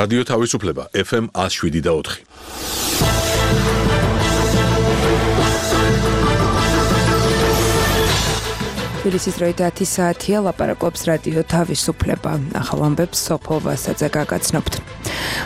რადიო თავისუფლება FM 107.4. თბილისის დროით 10 საათია, ლაპარაკობს რადიო თავისუფლება. ახალ ამბებს სოფო ვასაძე გაგაცნობთ.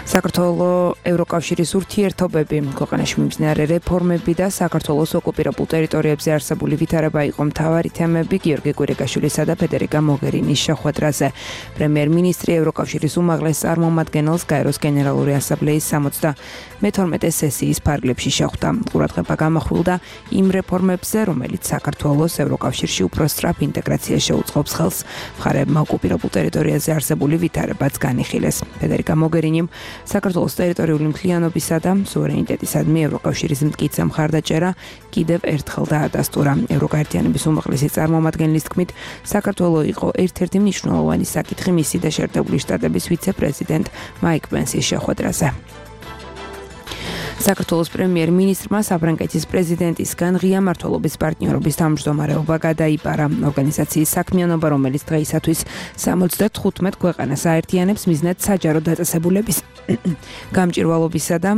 საქართველოს ევროკავშირის ურთიერთობები, ქვეყანაში მიმდინარე რეფორმები და საქართველოს ოკუპირებულ ტერიტორიებზე არსებული ვითარება იყო მთავარი თემები გიორგი კვირიკაშვილისა და ფედერიკა მოგერინის შეხვედრაზე. პრემიერ-მინისტრი ევროკავშირის უმაღლეს წარმომადგენელს გაეროს გენერალური ასამბლეის 72 სესიის ფარგლებში შეხვდა. ყურადღება გამახვილდა იმ რეფორმებზე, რომელიც საქართველოს ევროკავშირში უფრო სწრაფ ინტეგრაციას შეუწყობს ხელს. მხარეებმა ოკუპირებულ ტერიტორიაზე არსებული ვითარებაც განიხილეს. ფედერიკა მოგერინიმ საქართველოს ტერიტორიული მთლიანობისა და სუვერენიტეტისადმი ევროკავშირის მტკიცე მხარდაჭერა კიდევ ერთხელ დაადასტურა. ევროკაერთიანების უმაღლესი წარმომადგენლის თქმით, საქართველო იყო ერთ-ერთი მნიშვნელოვანი საკითხი მისი და შეერთებული შტატების ვიცე-პრეზიდენტ მაიკ პენსის შეხვედრაზე. საქართველოს პრემიერ-მინისტრმა საფრანგეთის პრეზიდენტისგან ღია მმართველობის პარტნიორობის თავმჯდომარეობა გადაიბარა. ორგანიზაციის საქმიანობა, რომელიც დღეისათვის 75 ქვეყანას აერთიანებს, მიზნად საჯარო დაწესებულების გამჭირვალობისა და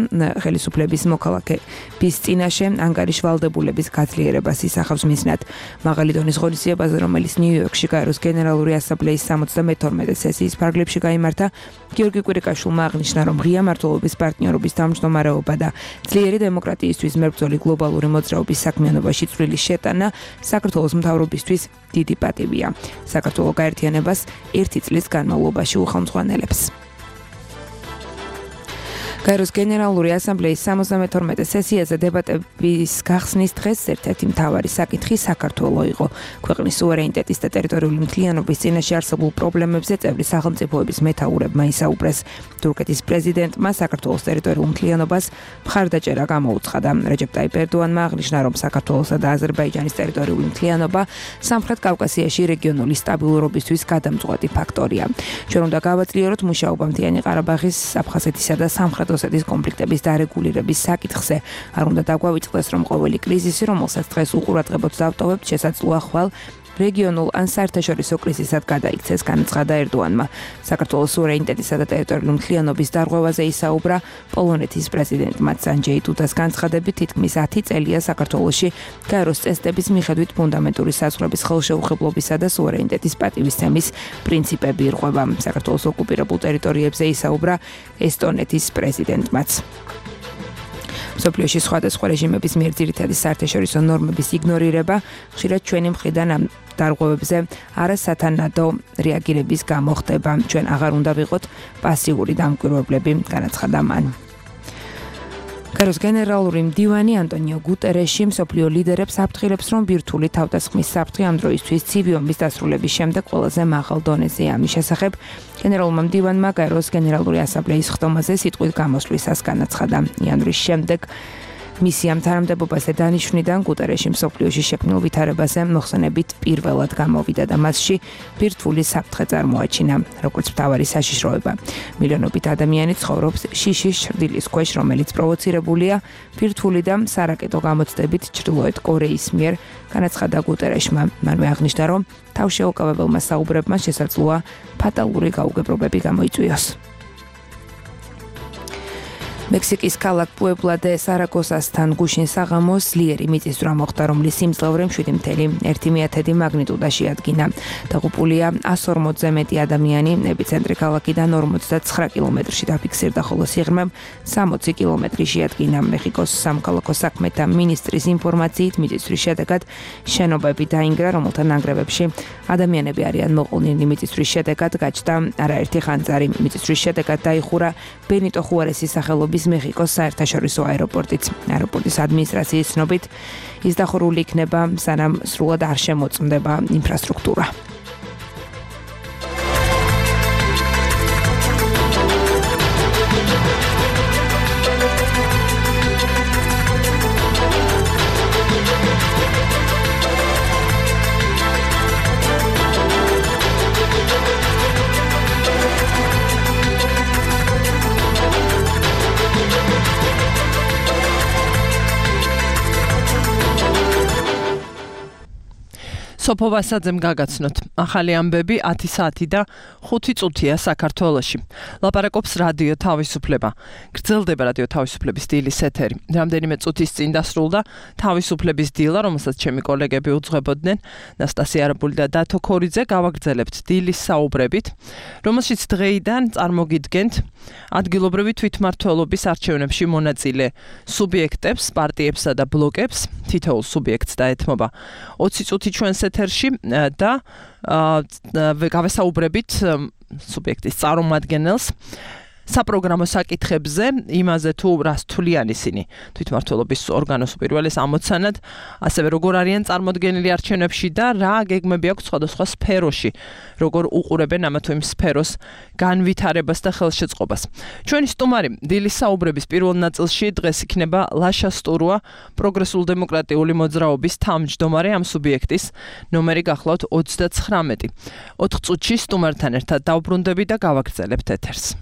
ხელისუფლების მოქალაქეების წინაშე ანგარიშ ვალდებულების გაძლიერებას ისახავს მიზნად. მაღალი დონის ღონისძიებაზე, რომელიც ნიუ-იორკში გაეროს გენერალური ასამბლეის 72 სესიის ფარგლებში გაიმართა, გიორგი კვირიკაშვილმა აღნიშნა, რომ ღია მმართველობის პარტნიორობის თავმჯდომარეობა და ძლიერი დემოკრატიისთვის მებრძოლი გლობალური მოძრაობის საქმიანობაში წვლილი შეტანა საქართველოს მთავრობისთვის დიდი პატივია. საქართველო გაერთიანებას 1 წლის განმავლობაში უხელმძღვანელებს. გაეროს გენერალური ასამბლეის 72 სესიაზე დებატების გახსნის დღეს ერთ-ერთი მთავარი საკითხი საქართველო იყო. ქვეყნის სუვერენიტეტის და ტერიტორიული მთლიანობის წინაშე არსებულ პრობლემებზე წევრი სახელმწიფოების მეთაურებმა ისაუბრეს. თურქეთის პრეზიდენტმა საქართველოს ტერიტორიულ მთლიანობას მხარდაჭერა გამოუცხადა. რეჯეპ ტაიპ ერდოანმა აღნიშნა, რომ საქართველოსა და აზერბაიჯანის ტერიტორიული მთლიანობა სამხრეთ კავკასიაში რეგიონული სტაბილურობისთვის გადამწყვეტი ფაქტორია. ჩვენ უნდა გავაძლიეროთ მუშაობა მთიანი ყარაბაღის, აფხაზეთისა და სამხრეთ ოსეთის კონფლიქტების დარეგულირების საკითხზე. არ უნდა დაგვავიწყდეს, რომ ყოველი კრიზისი, რომელსაც დღეს უყურადღებოდ დავტოვებთ, შესაძლოა ხვალ რეგიონულ ან საერთაშორისო კრიზისად გადაიქცეს, განაცხადა ერდოანმა. საქართველოს სუვერენიტეტისა და ტერიტორიული მთლიანობის დარღვევაზე ისაუბრა პოლონეთის პრეზიდენტმა. სანჯეი დუდას განცხადებით, თითქმის 10 წელია საქართველოში გაეროს წესდების მიხედვით ფუნდამენტური საზღვრების ხელშეუხებლობისა და სუვერენიტეტის პატივისცემის პრინციპები ირღვევა. საქართველოს ოკუპირებულ ტერიტორიებზე ისაუბრა ესტონეთის პრეზიდენტმაც. მსოფლიოში სხვადასხვა რეჟიმების მიერ ძირითადი საერთაშორისო ნორმების იგნორირება ხშირად ჩვენი მხრიდან ამ დარღვევებზე არასათანადო რეაგირების გამო ხდება. ჩვენ აღარ უნდა ვიყოთ პასიური დამკვირვებლები, განაცხადა მან. გაეროს გენერალური მდივანი ანტონიო გუტერეში მსოფლიო ლიდერებს აფრთხილებს, რომ ბირთვული თავდასხმის საფრთხე ამ დროისთვის ცივი ომის დასრულების შემდეგ ყველაზე მაღალ დონეზეა. ამის შესახებ გენერალურმა მდივანმა გაეროს გენერალური ასამბლეის ხდომაზე სიტყვის გამოსვლისას განაცხადა. იანვრის შემდეგ მისიამ თანამდებობაზე დანიშვნიდან გუტერეში მსოფლიოში შექმნილ ვითარებაზე მოხსენებით პირველად გამოვიდა და მასში ბირთვული საფრთხე წარმოაჩინა, როგორც მთავარი საშიშროება. მილიონობით ადამიანი ცხოვრობს შიშის ჩრდილის ქვეშ, რომელიც პროვოცირებულია ბირთვული და სარაკეტო გამოცდებით ჩრდილოეთ კორეის მიერ, განაცხადა გუტერეშმა. მანვე აღნიშნა, რომ თავშეუკავებელმა საუბრებმა შესაძლოა ფატალური გაუგებრობები გამოიწვიოს. მექსიკის ქალაქ პუებლა დე სარაგოსასთან გუშინ საღამოს ძლიერი მიწისძვრა მოხდა, რომლის სიმძლავრე 7.1 მაგნიტუდაში ადგინა. დაღუპულია 140-ზე მეტი ადამიანი, ეპიცენტრი ქალაქიდან 49 კილომეტრში დაფიქსირდა, ხოლო სიღრმე 60 კილომეტრი შეადგინა. მეხიკოს სამოქალაქო საქმეთა მინისტრის ინფორმაციით, მიწისძვრის შედეგად შენობები დაინგრა, რომელთა ნანგრევებში ადამიანები არიან მოყოლნილი. მიწისძვრის შედეგად გაჩნდა არაერთი ხანძარი. მიწისძვრის შედეგად დაიხურა ბენიტო ხუარესის სახელობის მეხიკოს საერთაშორისო აეროპორტიც. აეროპორტის ადმინისტრაციის ცნობით, ის დახურული იქნება, სანამ სრულად არ შემოწმდება ინფრასტრუქტურა. სოფო ვასაძემ გაგაცნოთ. ახალი ამბები 10 საათი და 5 წუთია საქართველოში. ლაპარაკობს რადიო თავისუფლება. გრძელდება რადიო თავისუფლების დილის ეთერი. რამდენიმე წუთის წინ დასრულდა თავისუფლების დილა, რომელსაც ჩემი კოლეგები უძღვებოდნენ. ნასტასია არაბული და დათო ქორიძე გავაგრძელებთ დილის საუბრებით, რომელშიც დღეიდან წარმოგიდგენთ ადგილობრივი თვითმმართველობის არჩევნებში მონაწილე სუბიექტებს, პარტიებსა და ბლოკებს. თითოეულ სუბიექტს დაეთმობა 20 წუთი ჩვენს ეთერში და გავესაუბრებით სუბიექტის წარმომადგენელს საპროგრამო საკითხებზე, იმაზე თუ რას თვლიან ისინი თვითმმართველობის ორგანოს უპირველეს ამოცანად, ასევე როგორ არიან წარმოდგენილი არჩევნებში და რა გეგმები აქვს სხვადასხვა სფეროში, როგორ უყურებენ ამა თუ იმ სფეროს განვითარებას და ხელშეწყობას. ჩვენი სტუმარი დილის საუბრების პირველ ნაწილში დღეს იქნება ლაშა სტურუა, პროგრესულ-დემოკრატიული მოძრაობის თავმჯდომარე ამ სუბიექტის ნომერი გახლავთ 39. 4 წუთში სტუმართან ერთად დავბრუნდები და გავაგრძელებთ ეთერს.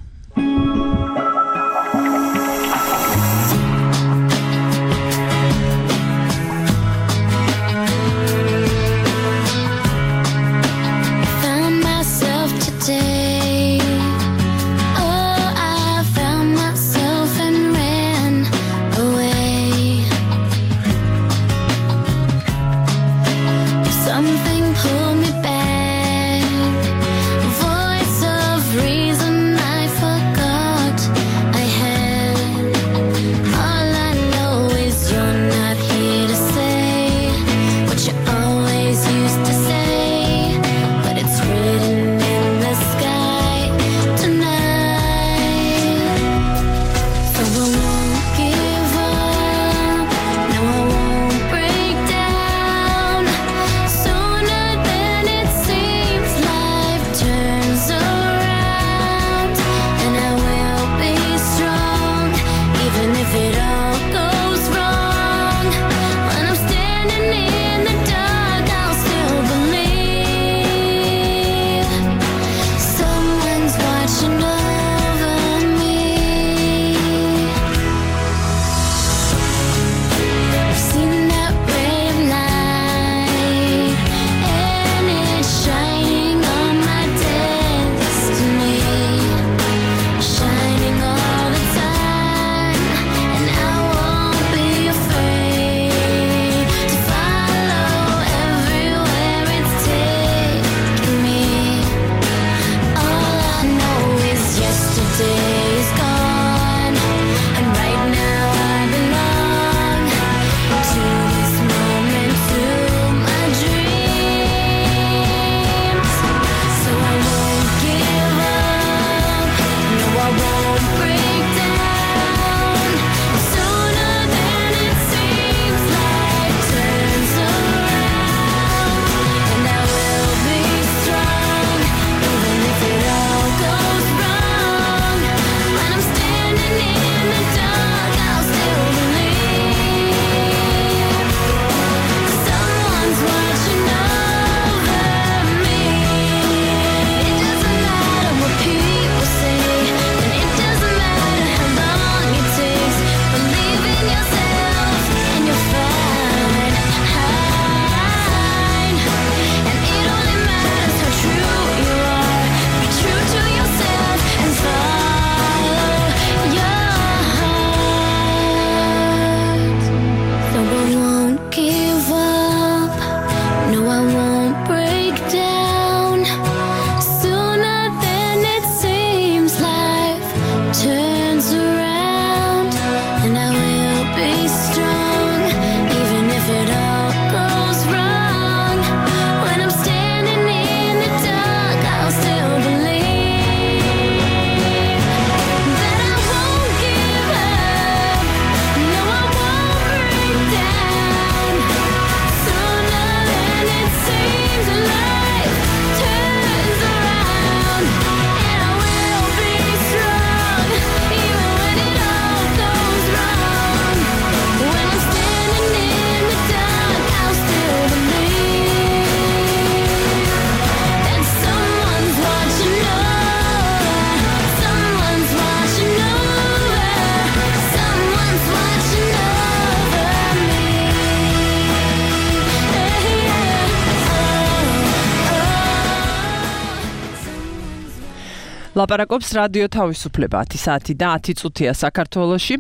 ლაპარაკობს რადიო თავისუფლება 10 საათი და 10 წუთია საქართველოში.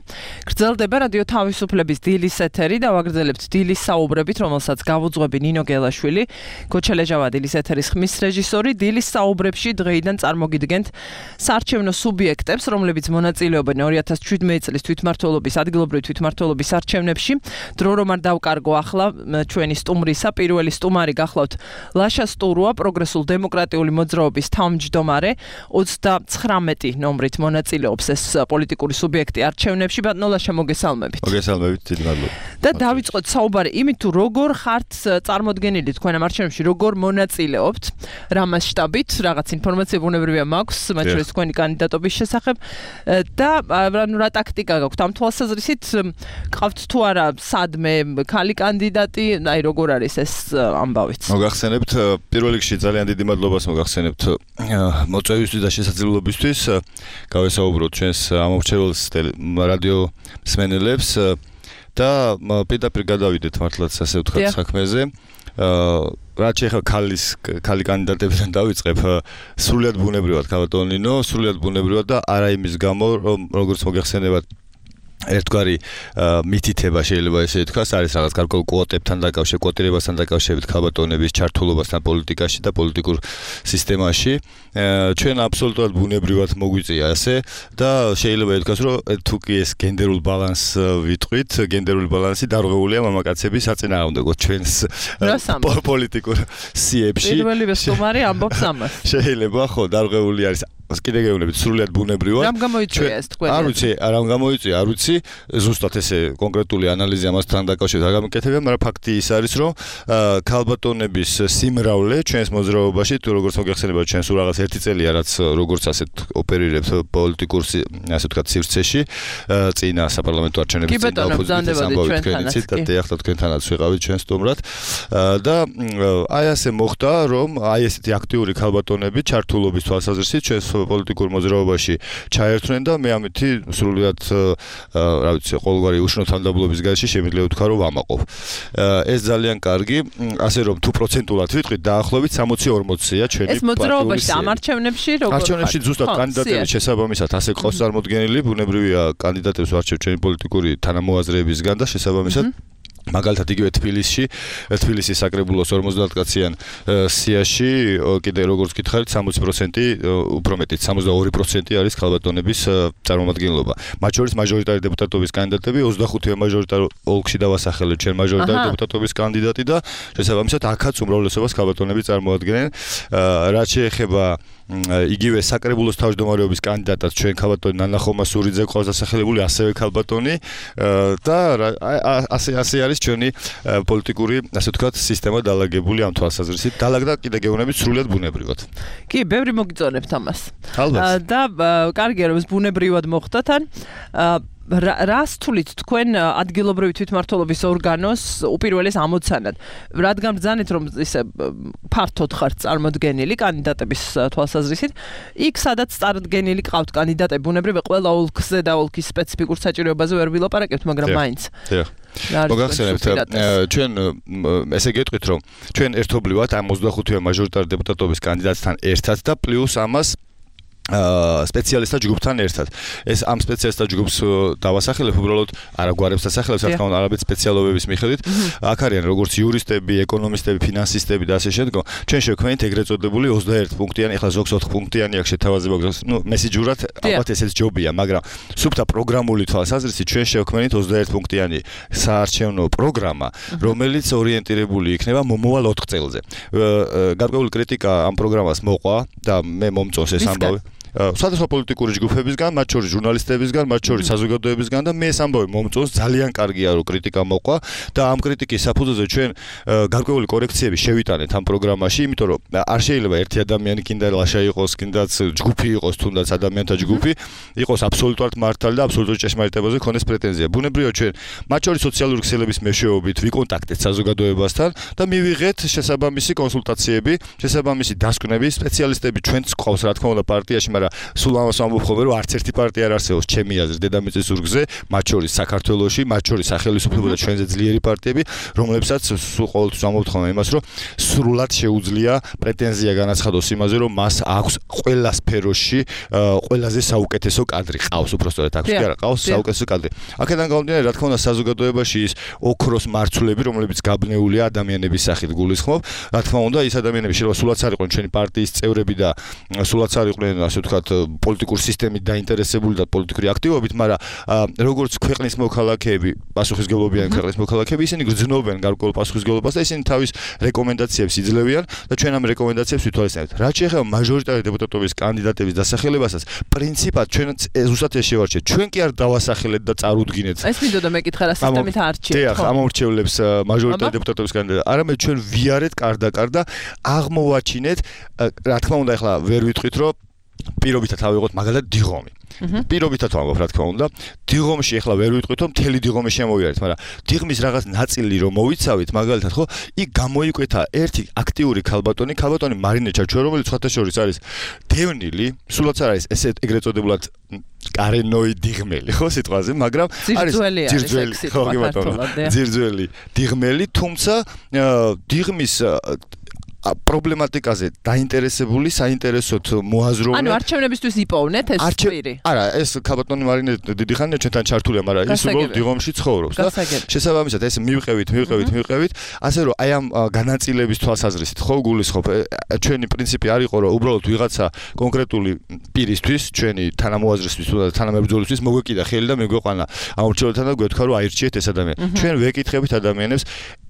გრძელდება რადიო თავისუფლების დილის ეთერი და ვაგრძელებთ დილის საუბრებით, რომელსაც გავუძღვები ნინო გელაშვილი, ქოჩელეჟავა დილის ეთერის ხმის რეჟისორი. დილის საუბრებში დღეიდან წარმოგიდგენთ საარჩევნო სუბიექტებს, რომლებიც მონაწილეობენ 2017 წლის თვითმმართველობის ადგილობრივი თვითმმართველობის არჩევნებში. დრო რომ არ დავკარგო ახლა ჩვენი სტუმრისა, პირველი სტუმარი გახლავთ ლაშა სტურუა, პროგრესულ დემოკრატიული მოძრაობის თავმჯდომარე. 39 ნომრით მონაწილეობს ეს პოლიტიკური სუბიექტი არჩევნებში. ბატონო ლაშა, მოგესალმებით. მოგესალმებით, დიდი მადლობა. და დავიწყოთ საუბარი იმით, თუ როგორ ხართ წარმოდგენილი თქვენ ამ არჩევნებში, როგორ მონაწილეობთ, რა მასშტაბით, რაღაც ინფორმაცია ბუნებრივია მაქვს, მათ შორის თქვენი კანდიდატობის შესახებ და რა ტაქტიკა გაქვთ ამ თვალსაზრისით, ყავთ თუ არა სადმე ქალი კანდიდატი, აი როგორ არის ეს ამბავიც? მოგახსენებთ, პირველ რიგში ძალიან დიდი მადლობას მოგახსენებთ მოწვევისთვის და შესაძლებლობისთვის გავესაუბროთ ჩვენს ამორჩეველს რადიო მსმენელებს და პირდაპირ გადავიდეთ მართლაც ასე ვთქვათ საქმეზე. რაც ახლა ქალი კანდიდატებიდან დავიწყებ, სრულიად ბუნებრივად ქავატონინო, სრულიად ბუნებრივად და არა იმის გამო, რომ როგორც მოგახსენებათ ერთგვარი მითითება შეიძლება ესე ითქვას, არის რაღაც გარკვეულ კვოტებთან დაკავშირებით, კვოტირებასთან დაკავშირებით ქალბატონების ჩართულობასთან პოლიტიკაში და პოლიტიკურ სისტემაში. ჩვენ აბსოლუტურად ბუნებრივად მოგვიწია ასე და შეიძლება ითქვას, რომ თუ კი ეს გენდერულ ბალანსს ვიტყვით, გენდერული ბალანსი დარღვეულია მამაკაცების საწინააღმდეგოდ ჩვენს პოლიტიკურ სიებში. პირველივე სტუმარი ამბობს ამას. შეიძლება ხო, დარღვეული არის. კიდე გეუბნებით, სრულიად ბუნებრივად. რამ გამოიწვია ეს თქვენ? არ ვიცი, რამ გამოიწვია, არ ვიცი. ზუსტად ესე კონკრეტული ანალიზი ამასთან დაკავშირებით არ გამიკეთებია, მაგრამ ფაქტი ის არის, რომ ქალბატონების სიმრავლე ჩვენს მოძრაობაში, თუ როგორც მოგეხსენებათ, ჩვენ სულ რაღაც 1 წელია, რაც როგორც ასეთ ოპერირებთ პოლიტიკურ ასე ვთქვათ სივრცეში, წინა საპარლამენტო არჩევნების წინ ოპოზიციას ამბავით თქვენიცით და ახლა თქვენთანაც ვიყავით ჩვენ სტუმრად და აი ასე მოხდა, რომ აი ესეთი აქტიური ქალბატონები ჩართულობის თვალსაზრისით ჩვენს პოლიტიკურ მოძრაობაში ჩაერთვნენ და მე ამითი სრულიად რა ვიცი, ყოველგვარი უშნო თანამდებობის გარეშე შემიძლია ვთქვა, რომ ვამაყობ. ეს ძალიან კარგი, ასე რომ თუ პროცენტულად ვიტყვით, დაახლოებით 60-40-ია ჩვენი ეს მოძრაობაში ამ არჩევნებში როგორ ხარ? არჩევნებში ზუსტად კანდიდატების შესაბამისად ასე ყავს წარმოდგენილი, ბუნებრივია კანდიდატებს ვარჩევ ჩვენი პოლიტიკური თანამოაზრეებისგან და შესაბამისად მაგალითად იგივე თბილისის საკრებულოს 50 კაციან სიაში კიდე როგორც გითხარით 60% უფრო მეტიც 62% არის ქალბატონების წარმომადგენლობა. მათ შორის მაჟორიტარი დეპუტატობის კანდიდატები 25-ე მაჟორიტარ ოლქში დავასახელეთ ჩვენ მაჟორიტარი დეპუტატობის კანდიდატი და შესაბამისად აქაც უმრავლესობას ქალბატონები წარმოადგენენ. რაც შეეხება იგივე საკრებულოს თავმჯდომარეობის კანდიდატად ჩვენ ქალბატონი ნანა ხომასურიძე ყავს დასახელებული, ასევე ქალბატონი და ასე არის ჩვენი პოლიტიკური, ასე ვთქვათ, სისტემა დალაგებული ამ თვალსაზრისით. დალაგდა კიდე გეუბნებით სრულიად ბუნებრივად. კი, ბევრი მოგიწონებთ ამას. ალბათ. და კარგია რომ ეს ბუნებრივად მოხდა თან. რას თulit თქვენ ადგილობრივი თვითმმართველობის ორგანოს უპირველეს ამოცანად? რადგან ბრძანეთ რომ ისე ფართოდ ხართ წარმოდგენილი კანდიდატების თვალსაზრისით, იქ სადაც წარდგენილი ყავთ კანდიდატები, ბუნებრივია ყველა ოლქზე და ოლქის სპეციფიკურ საჭიროებაზე ვერ ვილაპარაკებთ, მაგრამ მაინც. მოგახსენებთ, ჩვენ ესე გეტყვით, რომ ჩვენ ერთობლივად ამ 25-ე მაჟორიტარი დეპუტატობის კანდიდატთან ერთად და პლუს ამას სპეციალისტთა ჯგუფთან ერთად. ეს ამ სპეციალისტთა ჯგუფს დავასახელებ, უბრალოდ არა გვარებს დასახელებს, რა თქმა უნდა, არაბეთ სპეციალობების მიხედვით. აქ არიან როგორც იურისტები, ეკონომისტები, ფინანსისტები და ასე შემდგომ. ჩვენ შევქმნით ეგრეთ წოდებული 21 პუნქტიანი, ახლა ზოგს 4 პუნქტიანი აქ შეთავაზება გვაქვს. მესიჯურად ალბათ ესეც ჯობია, მაგრამ სუფთა პროგრამული თვალსაზრისით ჩვენ შევქმნით 21 პუნქტიანი საარჩევნო პროგრამა, რომელიც ორიენტირებული იქნება მომავალ 4 წელზე. გარკვეული კრიტიკა ამ პროგრამას მოყვა და მე მომწონს ეს ამბავი. სხვადასხვა პოლიტიკური ჯგუფებისგან, მათ შორის ჟურნალისტებისგან, მათ შორის საზოგადოებისგან და მე ეს ამბავი მომწონს, ძალიან კარგია რომ კრიტიკა მოყვა და ამ კრიტიკის საფუძველზე ჩვენ გარკვეული კორექციები შევიტანეთ ამ პროგრამაში, იმიტომ რომ არ შეიძლება ერთი ადამიანი კიდე ლაშა იყოს, კიდაც ჯგუფი იყოს, თუნდაც ადამიანთა ჯგუფი იყოს აბსოლუტურად მართალი და აბსოლუტურად ჭეშმარიტებაზე ქონდეს პრეტენზია. ბუნებრივია ჩვენ მათ შორის სოციალური ქსელების მეშვეობით ვიკონტაქტეთ საზოგადოებასთან და მივიღეთ შესაბამისი კონსულტაციები, შესაბამისი დასკვნები, სპეციალისტები ჩვენც ყავს რა თქმა უნდა პარტიაში, მაგრამ მაგრამ სულ ამას ვამბობ ხოლმე, რომ არც ერთი პარტია არ არსებობს ჩემი აზრით დედამიწის ზურგზე, მათ შორის საქართველოში, მათ შორის სახელმწიფო და ჩვენზე ძლიერი პარტიები, რომლებსაც სულ ყოველთვის ვამბობთ ხოლმე იმას, რომ სრულად შეუძლია პრეტენზია განაცხადოს იმაზე, რომ მას აქვს ყველა სფეროში ყველაზე საუკეთესო კადრი ყავს, უბრალოდ აქვს კი არა, ყავს საუკეთესო კადრი. აქედან გამომდინარე, რა თქმა უნდა, საზოგადოებაში ის ოქროს მარცვლები, რომლებიც გაბნეულია ადამიანების სახით გულისხმობ, რა თქმა უნდა, ის ადამიანები შეიძლება სულაც არ იყვნენ ჩვენი პარტიის წევრები და სულაც არ იყვნენ, ასე ვთქვათ, პოლიტიკური სისტემით დაინტერესებული და პოლიტიკური აქტივობით, მაგრამ როგორც ქვეყნის მოქალაქეები, პასუხისმგებლობიანი ქვეყნის მოქალაქეები, ისინი გრძნობენ გარკვეულ პასუხისმგებლობას და ისინი თავის რეკომენდაციებს იძლევიან და ჩვენ ამ რეკომენდაციებს ვითვალისწინებთ. რაც შეეხება მაჟორიტარი დეპუტატობის კანდიდატების დასახელებასაც, პრინციპად ჩვენ ზუსტად ეს შევარჩიეთ. ჩვენ კი არ დავასახელეთ და წარუდგინეთ. ეს მინდოდა მეკითხა რა სისტემით არჩიეთ. დიახ, ამორჩევლებს მაჟორიტარი დეპუტატობის კანდიდატად. არამედ ჩვენ ვიარეთ კარდაკარ და აღმოვაჩინეთ, რა თქმა უნდა, ახლა ვერ ვიტყვით, რომ პირობითად ავიღოთ მაგალითად დიღომი. პირობითად ვამბობ, რა თქმა უნდა, დიღომში ახლა ვერ ვიტყვით, რომ მთელი დიღომი შემოვიარეთ, მაგრამ დიღმის რაღაც ნაწილი რომ მოვიცავით, მაგალითად, ხო, იქ გამოიკვეთა ერთი აქტიური ქალბატონი მარინე ჩაჩო, რომელიც სხვათა შორის არის დევნილი, სულაც არ არის ესე ეგრეთ წოდებული კარენოი დიღმელი, ხო, სიტყვაზე, მაგრამ არის ძირძველი, ხო, კი ბატონო, ძირძველი დიღმელი, თუმცა დიღმის პრობლემატიკაზე დაინტერესებული, საინტერესოდ მოაზროვნე. ანუ არჩევნებისთვის იპოვნეთ ეს პირი. არა, ეს ქალბატონი მარინე დიდი ხანია ჩვენთან ჩართულია, მაგრამ ის უბრალოდ დიღომში ცხოვრობს და შესაბამისად ეს მივყევით, ასე რომ აი ამ განაწილების თვალსაზრისით ხო გულისხმობ, ჩვენი პრინციპი არ იყო, რომ უბრალოდ ვიღაცა კონკრეტული პირისთვის, ჩვენი თანამოაზრისთვის და თანამებრძოლისთვის მოგვეკიდა ხელი და მეგვეყვანა ამორჩევლთან და გვეთქვა, რომ აირჩიეთ ეს ადამიანი. ჩვენ ვეკითხებით ადამიანებს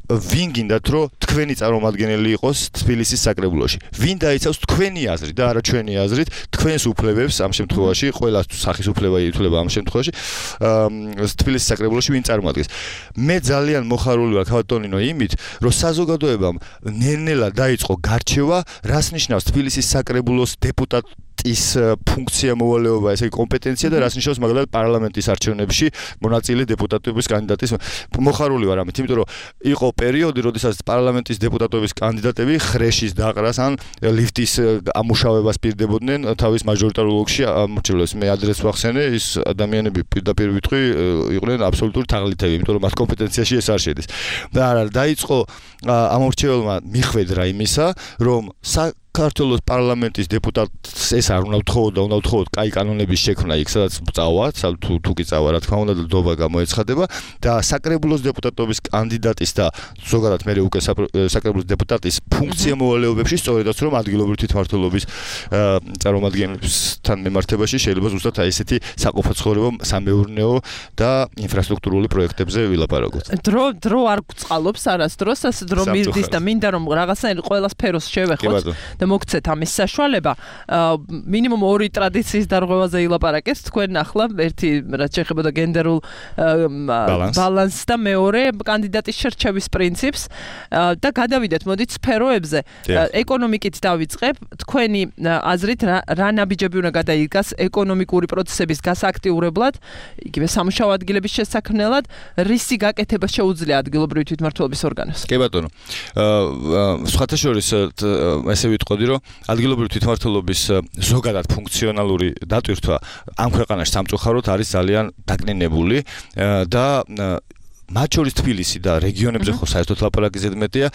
ვინ გინდათ რომ თქვენი წარმომადგენელი იყოს თბილისის საკრებულოში? ვინ დაიცავს თქვენი აზრით და არა ჩვენი აზრით თქვენს უფლებებს ამ შემთხვევაში, ყველა სახის უფლება ითვლება ამ შემთხვევაში თბილისის საკრებულოში ვინ წარმოადგენს? მე ძალიან მოხარული ვარ ქალბატონინო იმით, რომ საზოგადოებამ ნელ-ნელა დაიწყო გარჩევა, რას ნიშნავს თბილისის საკრებულოს დეპუტატის ფუნქცია, მოვალეობა, ესე იგი კომპეტენცია და რას ნიშნავს მაგალითად პარლამენტის არჩევნებში მონაწილე დეპუტატების კანდიდატის. მოხარული ვარ ამით, იმიტომ რომ იყო პერიოდი, როდესაც პარლამენტის დეპუტატობის კანდიდატები ხრეშის დაყრას ან ლიფტის ამუშავებას პირდებოდნენ თავის მაჟორიტარულ ოლქში ამორჩევლებს. მე ადრესს ვახსენე, ის ადამიანები პირდაპირ ვიტყვი, იყვნენ აბსოლუტური თაღლითები, იმიტომ რომ მათ კომპეტენციაში ეს არ შედის. და არა, დაიწყო ამორჩეველმა მიხვედრა იმისა, რომ საქართველოს პარლამენტის დეპუტატს ეს არ უნდა ვთხოვოთ და უნდა ვთხოვოთ კაი კანონების შექმნა იქ, სადაც წავა, თუ კი წავა, რა თქმა უნდა, დობა გამოეცხადება და საკრებულოს დეპუტატობის კანდიდატის და ზოგადად მე უკვე საკრებულოს დეპუტატის ფუნქცია მოვალეობებში სწორედაც რომ ადგილობრივი თვითმმართველობის წარმომადგენლებთან მიმართებაში შეიძლება ზუსტად აი ესეთი საყოფაცხოვრებო, სამეურნეო და ინფრასტრუქტურული პროექტებზე ვილაპარაკოთ. დრო არ გვწყალობს არასდროს, ასე დრო მირდის და მინდა რომ რაღაცნაირად ყველა სფეროს შევეხოთ. მოგცეთ ამის საშუალება. მინიმუმ 2 ტრადიციის დარღვევაზე ილაპარაკეთ თქვენ ახლა, ერთი რაც შეეხება და გენდერულ ბალანსს და მეორე კანდიდატის შერჩევის პრინციპს და გადავიდეთ მოდით სფეროებზე. ეკონომიკით დავიწყებ. თქვენი აზრით რა ნაბიჯები უნდა გადაიგას ეკონომიკური პროცესების გასააქტიურებლად, იგივე სამუშაო ადგილების შესაქმნელად, რისი გაკეთება შეუძლია ადგილობრივი თვითმმართველობის ორგანოს? კი ბატონო. სხვათა შორის ესე ვიტყოდი, რომ ადგილობრივი თვითმმართველობის ზოგადად ფუნქციონალური დატვირთვა ამ ქვეყანაში სამწუხაროდ არის ძალიან დაკნინებული და მათ შორის თბილისი და რეგიონებზე ხო საერთოდ ლაპარაკი ზედმეტია.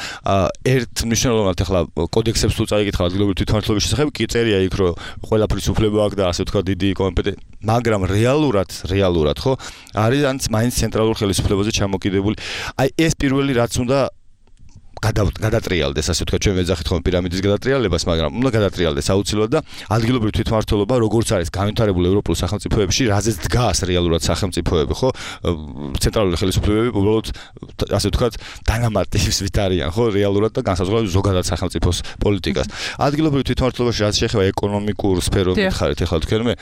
ერთ მნიშვნელოვნად ახლა კოდექსებს თუ წაიკითხავ ადგილობრივი თვითმმართველობის შესახებ, კი წერია იქ, რომ ყველაფრის უფლება აქვს და ასე ვთქვათ დიდი კომპეტენცია, მაგრამ რეალურად ხო არის მაინც ცენტრალურ ხელისუფლებაზე ჩამოკიდებული. აი ეს პირველი რაც უნდა გადატრიალდეს, ასე ვთქვათ, ჩვენ ვეძახით ხოლმე პირამიდის გადატრიალებას, მაგრამ უნდა გადატრიალდეს აუცილებლად და ადგილობრივი თვითმმართველობა, როგორც არის განვითარებული ევროპულ სახელმწიფოებში, რაზეც დგას რეალურად სახელმწიფოები, ხო? ცენტრალური ხელისუფლებები უბრალოდ ასე ვთქვათ, დანამატის ვით არიან, ხო, რეალურად და განსაზღვრავს ზოგადად სახელმწიფოს პოლიტიკას. ადგილობრივი თვითმმართველობაში რაც შეეხება ეკონომიკურ სფეროს მითხარით, ახლა თქვენ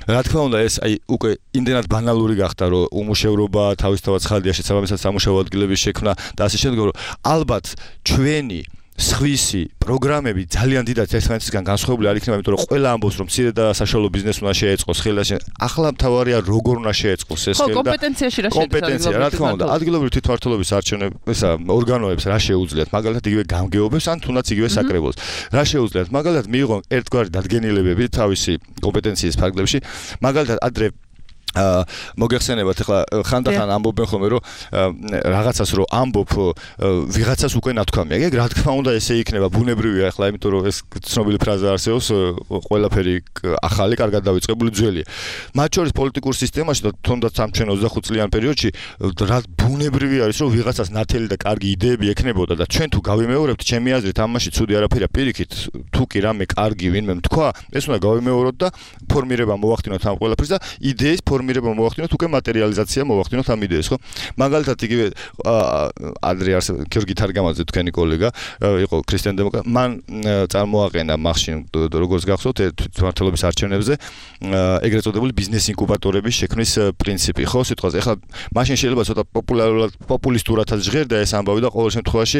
რა თქმა უნდა ეს აი უკვე იმდენად ბანალური გახდა, რომ უმუშევრობა თავისთავად ცხადია, შესაბამისად სამუშაო ადგილების შექმნა და ასე შემდეგ, რომ ალბათ ჩვენი სხვისი პროგრამები ძალიან დიდად ერთმანეთისგან განსხვავებული არ იქნება, იმიტომ რომ ყველა ამბობს რომ მცირე და საშუალო ბიზნესს უნდა შეეწყოს ხელა. ახლა მთავარია როგორ უნდა შეეწყოს ეს ხელა. კომპეტენციაში რა კომპეტენცია, რა თქმა უნდა, ადგილობრივი თვითმმართველობის არჩევნების ორგანოებს რა შეუძლიათ, მაგალითად იგივე გამგეობებს ან თუნდაც იგივე საკრებულოს. რა შეუძლიათ, მაგალითად მიიღონ ერთგვარი დადგენილებები თავისი კომპეტენციის ფარგლებში, მაგალითად ადრე მოგეხსენებათ ახლა ხანდახან ამბობენ ხოლმე რომ რაღაცას რომ ამბობ ვიღაცას უკვე ნათქვამია. ეგ რა თქმა უნდა ესე იქნება ბუნებრივია ახლა, იმიტომ რომ ეს ცნობილი ფრაზა არსებობს ყველაფერი ახალი კარგად დავიწყებული ძველია. მათ შორის პოლიტიკურ სისტემაში და თუნდაც ამ ჩვენ 25 წლიან პერიოდში რა ბუნებრივი არის რომ ვიღაცას ნათელი და კარგი იდეები ექნებოდა და ჩვენ თუ გავიმეორებთ ჩემი აზრით ამაში ცუდი არაფერია, პირიქით თუ კი რამე კარგი ვინმე თქვა ეს უნდა გავიმეოროთ და ფორმირება მოვახდინოთ ამ ყველაფერს და იდეის ფორმირება მოვახდინოთ, უკვე მატერიალიზაცია მოვახდინოთ ამ იდეას, ხო? მაგალითად იგივე ადრე გიორგი თარგამაძე თქვენი კოლეგა იყო ქრისტიან დემოკრატ, მან წარმოაყენა მახშინ როგორც გახსოვთ თვითმმართველობის არჩევნებზე ეგრეთ წოდებული ბიზნეს ინკუბატორების შექმნის პრინციპი, ხო, სიტყვაზე. ეხლა მაშინ შეიძლება ცოტა პოპულისტურადაც ჟღერდა ეს ამბავი და ყოველ შემთხვევაში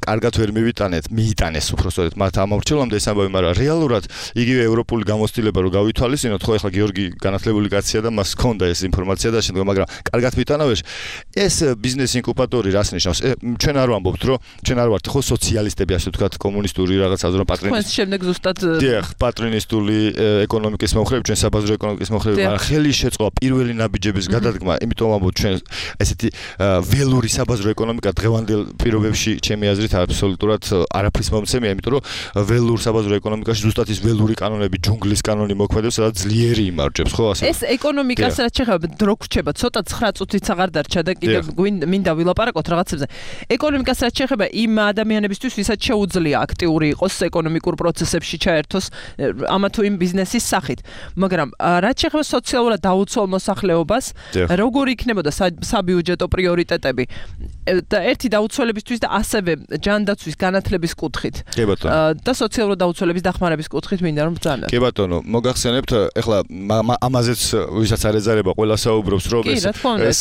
კარგად ვერ მიიტანეს უბრალოდ მათ ამორჩევლამდე ეს ამბავი, მაგრამ რეალურად იგივე ევროპული გამოცდილება რო გავითვალისწინოთ, ხო, ეხლა გიორგი განათლებული კაცია და მას ჰქონდა ეს ინფორმაცია და შემდგომ, მაგრამ კარგად ვიტანავეშ ეს ბიზნეს ინკუბატორი რას ნიშნავს? ჩვენ არ ვამბობთ, რომ ჩვენ არ ვართ ხო სოციალისტები, ასე ვთქვათ, კომუნისტური რაღაც აზრო პატრინისტული. თქვენ შემდეგ ზუსტად დიახ, პატრინისტული ეკონომიკის მომხრეები, ჩვენ საბაზრო ეკონომიკის მომხრეები, მაგრამ ხელი შეწყვა პირველი ნაბიჯების გადადგმა, იმიტომ ვამბობ ჩვენ ესეთი ველური საბაზრო ეკონომიკა დღევანდელ პირობებში ჩემი აზრით აბსოლუტურად არაფრის მომცემია, იმიტომ რომ ველურ საბაზრო ეკონომიკაში ზუსტად ის ველური კანონები, ჯუნგლის კანონი მოქმედებს, სადაც ძლიერი იმარჯვებს, ხო, ასე. ეს ეკონომიკას რაც შეხება დრო გრჩება, ცოტა 9 წუთიც აღარ დარჩა და კიდევ მინდა ვილაპარაკოთ რაღაცებზე. ეკონომიკას რაც შეხება იმ ადამიანებისთვის, ვისაც შეუძლია აქტიური იყოს ეკონომიკურ პროცესებში ჩაერთოს ამა თუ იმ ბიზნესის სახით. მაგრამ რაც შეხება სოციალურად დაუცველ მოსახლეობას, როგორ იქნებოდა საბიუჯეტო პრიორიტეტები და ერთი დაუცველებისთვის და ასევე ჯანდაცვის განათლების კუთხით და სოციალურად დაუცველების დახმარების კუთხით მინდა რომ ბრძანოთ. კი ბატონო, მოგახსენებთ ეხლა ამაზეც ვისაც არ ეძარება ყველა საუბრობს რომ ეს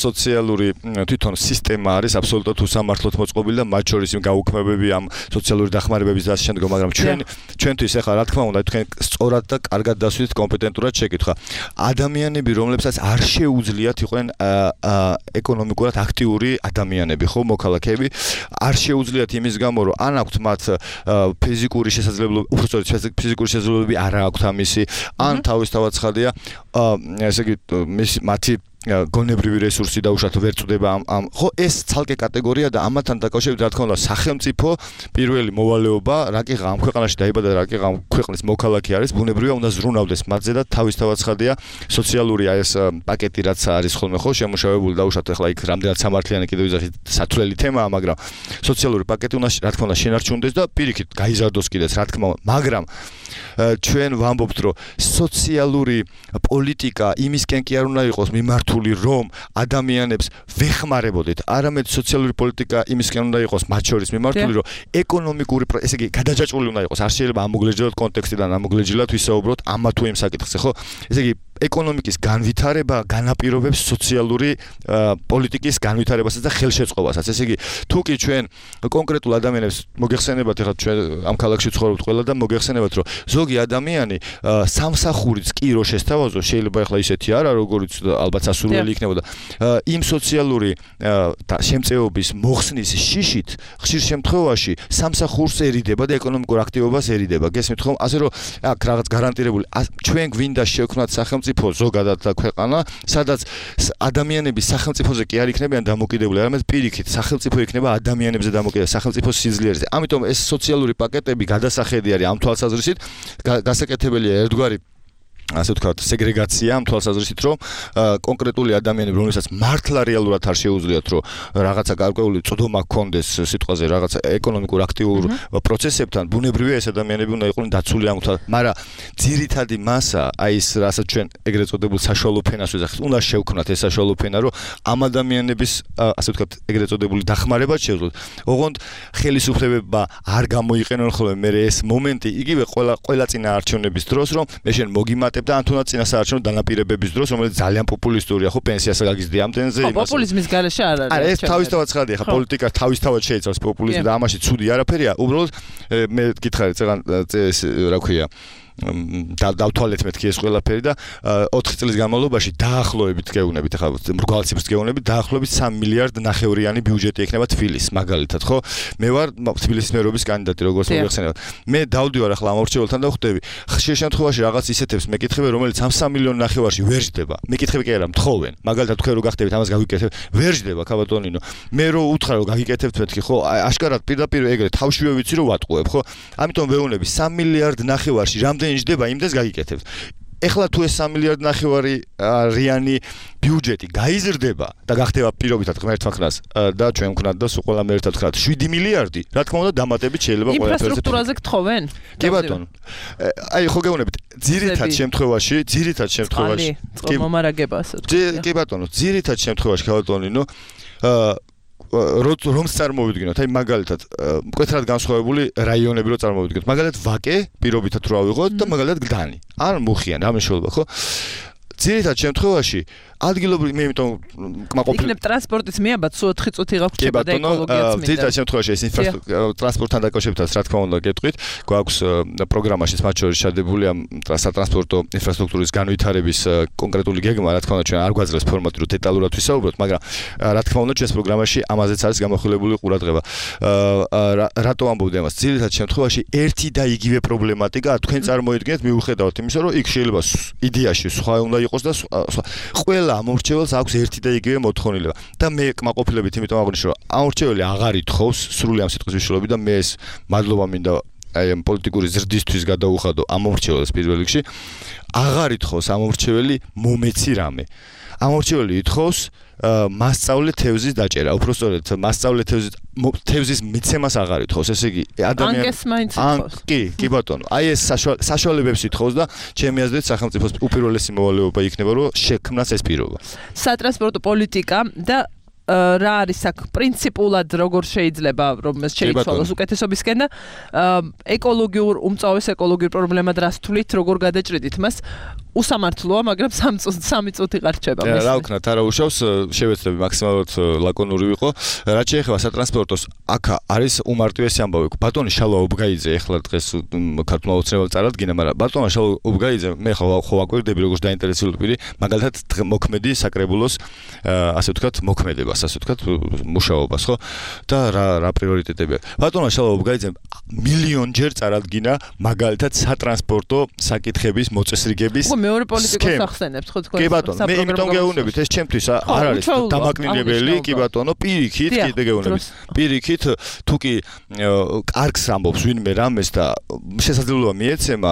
სოციალური თვითონ სისტემა არის აბსოლუტურად უსამართლოდ მოწყობილი და მათ შორის იმ გაუქმებები ამ სოციალური დახმარებების და ასე შემდეგ, მაგრამ ჩვენთვის ეხლა რა თქმა უნდა თქვენ სწორად და კარგად დასვით კომპეტენტურად შეკითხვა. ადამიანები, რომლებსაც არ შეუძლიათ იყვნენ ეკონომიკურად აქტიური ადამიანები, ხო, მოქალაქეები, არ შეუძლიათ იმის გამო, რომ ან აქვთ მათ ფიზიკური შესაძლებლობები, უბრალოდ ფიზიკური შესაძლებლობები არ აქვთ ამისი, ან თავისთავად ცხადია ესე იგი მათი გონებრივი რესურსი დაუშვათ ვერ წდება ამ ხო ეს ცალკე კატეგორია და ამათთან დაკავშირებით რა თქმა უნდა სახელმწიფო პირველი მოვალეობა რა კი ამ ქვეყანაში დაიბადა რა კი ამ ქვეყნის მოქალაქე არის ბუნებრივია უნდა ზრუნავდეს მათზე და თავისთავად ცხადია სოციალური ეს პაკეტი რაც არის ხოლმე ხო შემუშავებული დაუშვათ ახლა იქ რამდენად სამართლიანი კიდევ ისეთ სათვლელი თემაა მაგრამ სოციალური პაკეტი უნდა რა თქმა უნდა შენარჩუნდეს და პირიქით გაიზარდოს კიდეც რა თქმა უნდა მაგრამ ჩვენ ვამბობთ რომ სოციალური პოლიტიკა იმისკენ კი არ უნდა იყოს მიმართული რომ ადამიანებს ვეხმარებოდეთ არამედ სოციალური პოლიტიკა იმისკენ უნდა იყოს მათ შორის მიმართული რომ ეკონომიკური ესე იგი გადაჯაჭვული უნდა იყოს არ შეიძლება ამოგლეჯილოთ კონტექსტიდან ამოგლეჯილოთ ვისაუბროთ ამა თუ იმ საკითხზე ხო ესე იგი ეკონომიკის განვითარება განაპირობებს სოციალური პოლიტიკის განვითარებასაც და ხელშეწყობასაც ესე იგი თუ კი ჩვენ კონკრეტულ ადამიანებს მოგეხსენებათ ახლა ჩვენ ამ ქალაქში ცხოვრობთ ყველა და მოგეხსენებათ რომ ზოგი ადამიანი სამსახურიც კი რო შესთავაზოს შეიძლება ახლა ისეთი არა როგორც ალბათ სასურველი იქნებოდა იმ სოციალური შემწეობის მოხსნის შიშით ხშირ შემთხვევაში სამსახურს ერიდება და ეკონომიკურ აქტივობას ერიდება გესმით ხომ ასე რომ აქ რაღაც გარანტირებული ჩვენ გვინდა შევქმნათ სახელმწიფო ზოგადად და ქვეყანა სადაც ადამიანები სახელმწიფოზე კი არ იქნებიან დამოკიდებული არამედ პირიქით სახელმწიფო იქნება ადამიანებზე დამოკიდებული სახელმწიფოს სიძლიერზე ამიტომ ეს სოციალური პაკეტები გადასახედი არის ამ თვალსაზრისით გასაკეთებელია ერთგვარი ასე ვთქვათ, სეგრეგაცია ამ თვალსაზრისით, რომ კონკრეტული ადამიანები, რომელსაც მართლა რეალურად არ შეუძლიათ, რომ რაღაცა გარკვეული წვდომა ჰქონდეს სიტყვაზე, რაღაცა ეკონომიკურ აქტიურ პროცესებთან, ბუნებრივია ეს ადამიანები უნდა იყვნენ დაცული ამ თვალსაზრისით, მაგრამ ძირითადი მასა, აი ეს რასაც ჩვენ ეგრეთ წოდებულ საშუალო ფენას ვეძახით, უნდა შევქმნათ ეს საშუალო ფენა, რომ ამ ადამიანების, ასე ვთქვათ, ეგრეთ წოდებული დახმარება შეუძლოთ. ოღონდ ხელისუფლებებმა არ გამოიყენონ ხოლმე მე ეს მომენტი, იგივე ყველა წინა არჩევნების დროს, რომ მე შენ მოგიმატ დამატებდა ან თუნდაც წინასაარჩევნო დანაპირებების დროს, რომელიც ძალიან პოპულისტურია, ხო, პენსიასა გაგიზრდია ამდენზე იმას. პოპულიზმის გარეშე არ არის. არა, ეს თავისთავად ცხადია, ხა პოლიტიკა თავისთავად შეიცავს პოპულიზმს და ამაში ცუდი არაფერია. უბრალოდ მე გითხარით, წეგან რა ქვია დავთვალეთ მეთქი ეს ყველაფერი და 4 წლის განმავლობაში დაახლოებით გეუბნებით, ახლა მრგვალი ციფრს გეუბნებით, დაახლოებით 3 მილიარდ ნახევრიანი ბიუჯეტი ექნება თბილისს, მაგალითად, ხო? მე ვარ თბილისის მერობის კანდიდატი, როგორც მოგეხსენებათ. მე დავდივარ ახლა ამორჩეველთან და ხვდები, ხშირ შემთხვევაში რაღაც ისეთებს მეკითხები, რომელიც 3 მილიონ ნახევარში ვერ ჯდება. მეკითხები კი არა, მთხოვენ. მაგალითად, თქვენ რო გახდებით ამას გაგიკეთებ, ვერ ჯდება, ქაბატონინო. მე რო უთხრა რომ გაგიკეთებთ მეთქი, ხო? აშკარად პირდაპირ ეგრე თავშივე ვიცი რომ ვატყუებ, ხო? ამიტომ ვეუბნები 3 მილიარდ ნახევარში რამდენი ჯდება იმდეს გაგიკეთებთ. ეხლა თუ ეს 3 მილიარდ ნახევარი რიანი ბიუჯეტი გაიზრდება და გახდება პირობითად ღმერთმა ხნას და ჩვენ ვქნათ და სულ ყველამ ერთად ვქნათ 7 მილიარდი, რა თქმა უნდა დამატებით შეიძლება ყველაფერზე. ინფრასტრუქტურაზე გთხოვენ? კი ბატონო. აი ხო გეუბნებით, ძირითად შემთხვევაში კი მომარაგება ასე ვთქვი. კი ბატონო, ძირითად შემთხვევაში ქალბატონინო რომს წარმოვიდგინოთ, აი მაგალითად, მკვეთრად განსხვავებული რაიონები რო წარმოვიდგინოთ. მაგალითად, ვაკე პირობითად რო ავიღოთ და მაგალითად გდანი. ან მუხიან, ამ შეიძლება, ხო? ძირითად შემთხვევაში ადგილობრივი მე იმიტომ კმაყოფილი იქნებ ტრანსპორტის მიაბად სულ 4 წუთი გაგვჭირდა და ეკოლოგიაც მინდა. ძირითად შემთხვევაში ეს ტრანსპორტთან დაკავშირებითაც რა თქმა უნდა გეტყვით, გვაქვს პროგრამაშიც მათ შორის შადებული ამ სატრანსპორტო ინფრასტრუქტურის განვითარების კონკრეტული გეგმა, რა თქმა უნდა ჩვენ არ გვაძლევს ფორმატი რომ დეტალურად ვისაუბროთ, მაგრამ რა თქმა უნდა ჩვენს პროგრამაში ამაზეც არის გამახვილებული ყურადღება. რატო ამბობდი ამას? ძირითად შემთხვევაში ერთი და იგივე პრობლემატიკა თქვენ წარმოიდგინეთ მიუხედავად იმისა, რომ იქ შეიძლება იდეაში სხვა უნდა იყოს და ყველა ამორჩეველს აქვს ერთი და იგივე მოთხოვნილება და მე კმაყოფილებით იმიტომ აღნიშნე რომ ამორჩეველი აღარ ითხოვს სრული ამ სიტყვის მნიშვნელობით და მე ეს მადლობა მინდა აი ამ პოლიტიკური ზრდისთვის გადაუხადო ამორჩეველს პირველ რიგში აღარ ითხოვს ამორჩეველი მომეცი რამე ამორჩეველი ითხოვს მასწავლე თევზის დაჭერა უბრალოდ მასწავლე თევზის მიცემას აღარ ითხოვს ესე იგი ადამიანი ანკეს მაინც ითხოვს კი ბატონო აი ეს საშუალებებს ითხოვს და ჩემი აზრით სახელმწიფოს უპირველესი მოვალეობა იქნება რომ შექმნას ეს პირობა სატრანსპორტო პოლიტიკა და რა არის აქ პრინციპულად როგორ შეიძლება რომ ეს შეიცვალოს უკეთესობისკენ და ეკოლოგიურ უმწავეს ეკოლოგიურ პრობლემად რას თვლით როგორ გადაჭრიდით მას უსამართლოა მაგრამ 3 წუთი გარჩება მის რა ვქნათ არა უშავს შევეცდები მაქსიმალურად ლაკონური ვიყო რაც შეეხება სატრანსპორტოს აქ არის უმარტივესი ამბავი ბატონი შალვა ობგაიძე ახლა დღეს ქართულმა ოცნებამ წარადგინა მაგრამ ბატონი შალვა ობგაიძე მე ხო ვაკვირდები როგორც დაინტერესებული პირი მაგალითად მოქმედი საკრებულოს ასე ვთქვათ მოქმედებას ასე ვთქვათ მუშაობას ხო და რა პრიორიტეტებია ბატონმა შალვა ობგაიძემ მილიონჯერ წარადგინა მაგალითად სატრანსპორტო საკითხების მოწესრიგების მეორე პოლიტიკოს ახსენებთ ხო თქვენ კი ბატონო მე იმიტომ გეუბნებით ეს ჩემთვის არ არის დამაკნინებელი კი ბატონო პირიქით კიდე გეუბნებით პირიქით თუ კი კარგს ამბობს ვინმე რამეს და შესაძლებლობა მიეცემა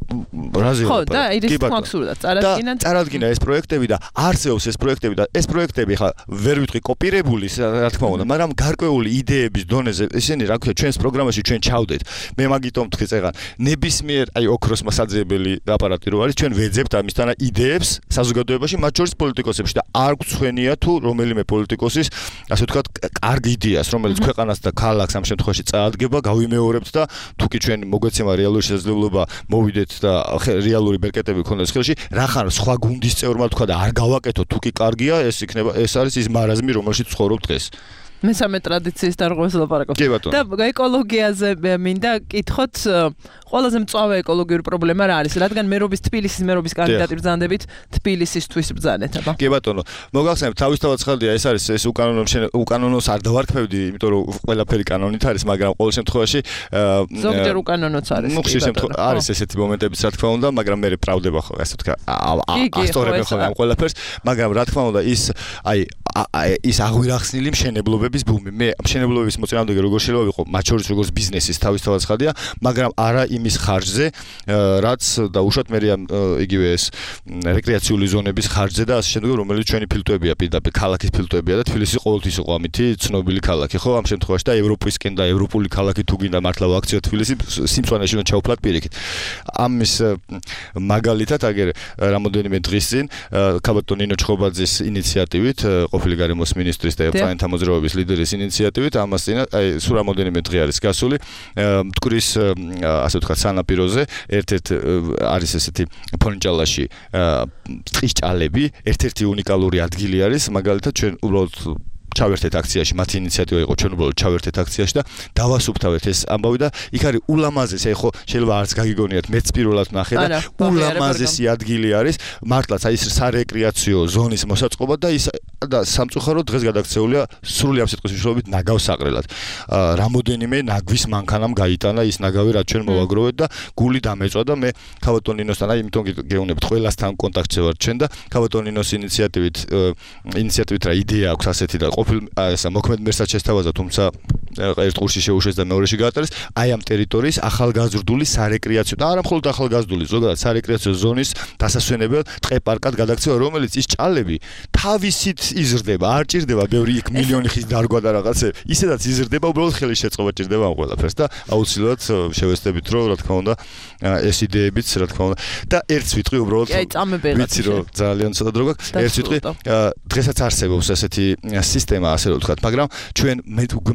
რაზე ხო და ის მაქსურდა წარადგინა ეს პროექტები და არსებობს ეს პროექტები და ეს პროექტები ხა ვერ ვიტყვი კოპირებული რა თქმა უნდა მაგრამ გარკვეული იდეების დონეზე ესენი რა ქვია ჩვენს პროგრამაში ჩვენ ჩავდეთ მე მაგიტომ თქვი წეგან ნებისმიერ აი ოქროს მასაძიებელი აპარატი რო არის ჩვენ ვეძებთ ამისთანა იდეებს საზოგადოებაში მათ შორის პოლიტიკოსებში და არ გვცხვენია თუ რომელიმე პოლიტიკოსის ასე ვთქვათ კარგი იდეას რომელიც ქვეყანას და ქალაქს ამ შემთხვევაში წაადგება გავიმეორებთ და თუ კი ჩვენ მოგვეცემა რეალური შესაძლებლობა მოვიდეთ და რეალური ბერკეტები გქონდეს ხელში, რახან სხვა გუნდის წევრმა თქვა და არ გავაკეთო თუ კი კარგია, ეს იქნება ეს არის ის მარაზმი, რომელშიც ცხოვრობ დღეს. მესამე ტრადიციის დარღვევას ლაპარაკობთ. და ეკოლოგიაზე მინდა კითხოთ, ყველაზე მწვავე ეკოლოგიური პრობლემა რა არის? რადგან თბილისის მერობის კანდიდატი ბრძანდებით თბილისისთვის ბრძანეთ, აბა. კი ბატონო, მოგახსენებთ, თავისთავად ცხადია, ეს არის ეს უკანონოს არ დავარქმევდი, იმიტომ რომ ყველაფერი კანონით არის, მაგრამ ყოველ შემთხვევაში ზოგჯერ უკანონოც არის. ხშირ შემთხვევაში არის ესეთი მომენტებიც, რა თქმა უნდა, მაგრამ მე ბრალდება ხო, ასე ვთქვა, ასტორები ხო ამ ყველაფერს, მაგრამ რა თქმა უნდა, ის ის აღვირახსნილი მშენებლობების ბუმი. მე მშენებლობების მოწინააღმდეგე როგორ შეიძლება ვიყო, მათ შორის როგორც ბიზნესის თავისთავად ცხადია, მაგრამ არა იმის ხარჯზე, რაც დაუშვათ მე იგივე ეს რეკრეაციული ზონების ხარჯზე და ასე შემდეგ, რომელიც ჩვენი ფილტვებია, პირდაპირ ქალაქის ფილტვებია და თბილისი ყოველთვის იყო ამითი ცნობილი ქალაქი, ხო? ამ შემთხვევაში და ევროპისკენ და ევროპული ქალაქი თუ გინდა მართლა ვაქციო თბილისი სიმწვანეში უნდა ჩავფლათ პირიქით. ამის მაგალითად აგერ რამოდენიმე დღის წინ ქალბატონ ნინო ჩხობაძის ინიციატივით ყოფილი ყოფილი გარემოს მინისტრის და პლანეტთა მოძრაობის ლიდერის ინიციატივით ამას წინა სულ რამოდენიმე დღე არის გასული მტკვრის ასე ვთქვათ სანაპიროზე ერთ-ერთ არის ესეთი ფონჭალაში ტყის ჭალები ერთ-ერთი უნიკალური ადგილი არის მაგალითად ჩვენ უბრალოდ ჩავერთეთ აქციაში, მათი ინიციატივა იყო, ჩვენ უბრალოდ ჩავერთეთ აქციაში და დავასუფთავეთ ეს ამბავი და იქ არის ულამაზესი, აი ხო შეიძლება არც გაგიგონიათ, მეც პირველად ნახე და ულამაზესი ადგილი არის, მართლაც აი ეს სარეკრეაციო ზონის მოსაწყობა და ის და სამწუხაროდ დღეს გადაქცეულია სრული ამ სიტყვის მნიშვნელობით ნაგავსაყრელად. რამოდენიმე ნაგვის მანქანამ გაიტანა ის ნაგავი, რაც ჩვენ მოვაგროვეთ და გული დამეწვა და მე ქავატონ ნინოსთან აი იმიტომ გეუბნებთ ყველასთან კონტაქტზე ვარ ჩვენ და ქავატონ ნინოს ინიციატივით რა იდეა აქვს ასეთი და ესა მოქმედ მერსად შესთავაზა, თუმცა ერთ ყურში შეუშვეს და მეორეში გაატარეს, აი ამ ტერიტორიის ახალგაზრდული სარეკრეაციო და არა მხოლოდ ახალგაზრდული, ზოგადად სარეკრეაციო ზონის დასასვენებელ ტყე-პარკად გადაქცევა, რომელიც ის ჭალები თავისით იზრდება, არ ჭირდება ბევრი იქ მილიონი ხის დარგვა და რაღაცე, ისედაც იზრდება, უბრალოდ ხელის შეწყობა ჭირდება ამ ყველაფერს და აუცილებლად შევეცდებით, რომ რა თქმა უნდა, ეს იდეებიც რა თქმა უნდა და ერთს ვიტყვი უბრალოდ ვიცი რომ ძალიან ცოტა დრო გაქვს, ერთს ვიტყვი, დღესაც არსებობს ესეთი სისტემა, ასე რომ ვთქვათ, მაგრამ ჩვენ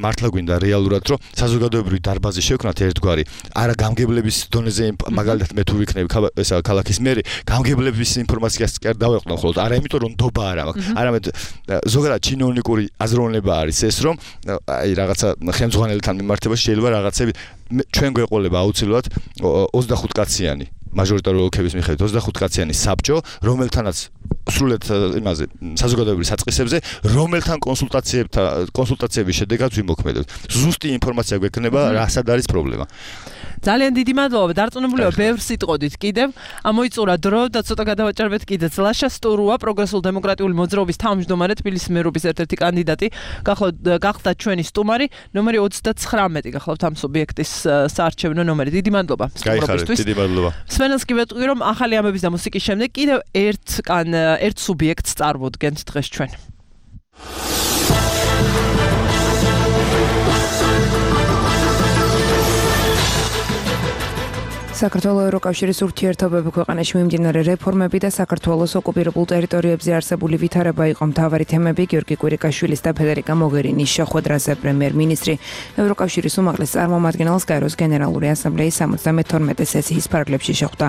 მართლა გვინდა რეალურად რომ საზოგადოებრივი დარბაზი შევქნათ ერთგვარი, არა გამგებლების დონეზე მაგალითად მე თუ ვიქნები ესა ქალაქის მერი, გამგებლების ინფორმაციას კი არ დავეყვნო მხოლოდ, არა იმიტომ რომ ნდობა არ აქვს, არამედ ზოგადად ჩინოვნიკური აზროვნება არის ეს რომ აი რაღაცა ხელმძღვანელთან მიმართებაში შეიძლება რაღაცები ჩვენ გვეყოლება აუცილებლად 25 კაციანი მაჟორიტარული ოლქების მიხედვით 25 კაციანი საბჭო, რომელთანაც სრულად იმაზე საზოგადოებრივ საწყისებზე, რომელთან კონსულტაციების შედეგად ვიმოქმედებთ. ზუსტი ინფორმაცია გვექნება, რასაც არის პრობლემა. ძალიან დიდი მადლობა, დარწმუნებულება ბევრს იტყოდით კიდევ. მოიწურა დრო და ცოტა გადავაჭარბეთ კიდეც. ლაშა სტურუა, პროგრესულ დემოკრატიული მოძრაობის თავმჯდომარე, თბილისის მერობის ერთ-ერთი კანდიდატი, გახდა ჩვენი სტუმარი, ნომერი 39, გახლავთ ამ სუბიექტის საარჩევნო ნომერი. დიდი მადლობა სტუმრობისთვის. დიდი მადლობა. სვენელს კი ვეტყვი, რომ ახალი ამბების და მუსიკის შემდეგ კიდევ ერთ სუბიექტს წარვდგენთ დღეს ჩვენ. საქართველოს ევროკავშირის ურთიერთობები ქვეყანაში მიმდინარე რეფორმები და საქართველოს ოკუპირებულ ტერიტორიებზე არსებული ვითარება იყო მთავარი თემები გიორგი კვირიკაშვილის და ფედერიკა მოგერინის შეხვედრაზე. პრემიერ-მინისტრი ევროკავშირის უმაღლეს წარმომადგენელს გაეროს გენერალური ასამბლეის 72 სესიის ფარგლებში შეხვდა.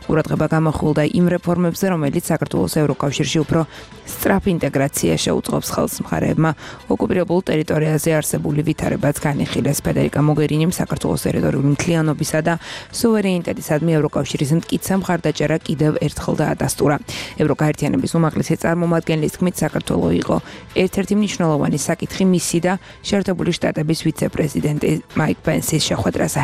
ყურადღება გამახვილდა იმ რეფორმებზე, რომელიც საქართველოს ევროკავშირში უფრო სწრაფ ინტეგრაციას შეუწყობს ხელს. მხარეებმა ოკუპირებულ ტერიტორიაზე არსებული ვითარებაც განიხილეს. ფედერიკა მოგერინიმ საქართველოს ტერიტორიული მთლიანობისა და სუვერენიტეტისადმი ევროკავშირის მტკიცე მხარდაჭერა კიდევ ერთხელ დაადასტურა. ევროკაერთიანების უმაღლესი წარმომადგენლის თქმით, საქართველო იყო ერთ-ერთი მნიშვნელოვანი საკითხი მისი და შეერთებული შტატების ვიცე-პრეზიდენტი მაიკ პენსის შეხვედრაზე.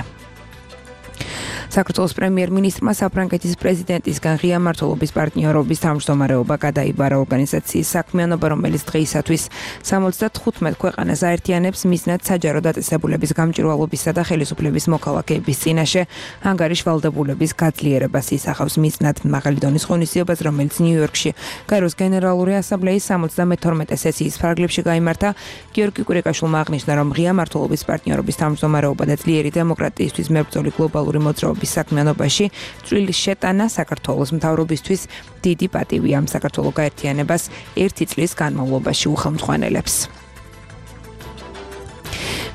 საქართველოს პრემიერ-მინისტრმა საფრანგეთის პრეზიდენტისგან ღია მმართველობის პარტნიორობის თავმჯდომარეობა გადაიბარა ორგანიზაციის საქმიანობა, რომელიც დღეისათვის 75 ქვეყანას აერთიანებს მიზნად საჯარო დაწესებულების გამჭვირვალობისა და ხელისუფლების მოქალაქეების წინაშე ანგარიშ ვალდებულების გაძლიერებას ისახავს. მიზნად მაღალი დონის ღონისძიებას, რომელიც ნიუ-იორკში გაეროს გენერალური ასამბლეის 72 სესიის ფარგლებში გაიმართა. გიორგი კვირიკაშვილმა აღნიშნა, რომ ღია მმართველობის პარტნიორობის თავმჯდომარეობა და ძლიერი დემოკრატიისთვის მებრძოლი გლობალური მოძრაობა საქმიანობაში წვლის შეტანა საქართველოს მთავრობისთვის დიდი პატივია. საქართველოს გაერთიანებას 1 წლის განმავლობაში უხელმძღვანელებს.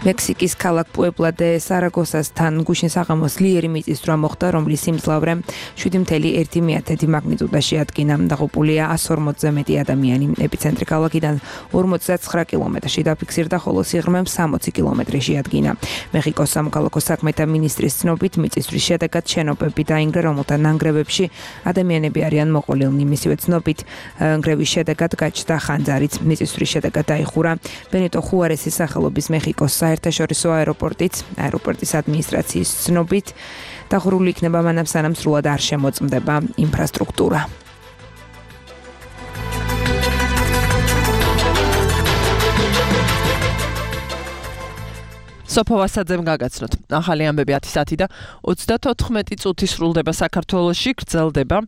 მექსიკის ქალაქ პუებლა დე სარაგოსასთან გუშინ საღამოს ძლიერი მიწისძვრა მოხდა, რომლის სიმძლავრე 7.1 მაგნიტუდაში ადგინა. დაღუპულია 140-ზე მეტი ადამიანი. ეპიცენტრი ქალაქიდან 59 კილომეტრში დაფიქსირდა, ხოლო სიღრმე 60 კილომეტრში ადგინა. მეხიკოს სამოქალაქო საქმეთა მინისტრის ცნობით, მიწისძვრის შედეგად შენობები დაინგრა, რომელთა ნანგრევებში ადამიანები არიან მოყოლილნი. მისივე ცნობით, ნგრევის შედეგად გაჩნდა ხანძარიც. მიწისძვრის შედეგად დაიხურა ბენიტო ხუარესის სახელობის მეხიკოს საერთაშორისო აეროპორტის ადმინისტრაციის ცნობით, დახურული იქნება მანამ სანამ სრულად არ შემოწმდება ინფრასტრუქტურა. სოფო ვასაძემ გაგაცნოთ. ახალი ამბები 10 და 34 წუთი სრულდება საქართველოში, გრძელდება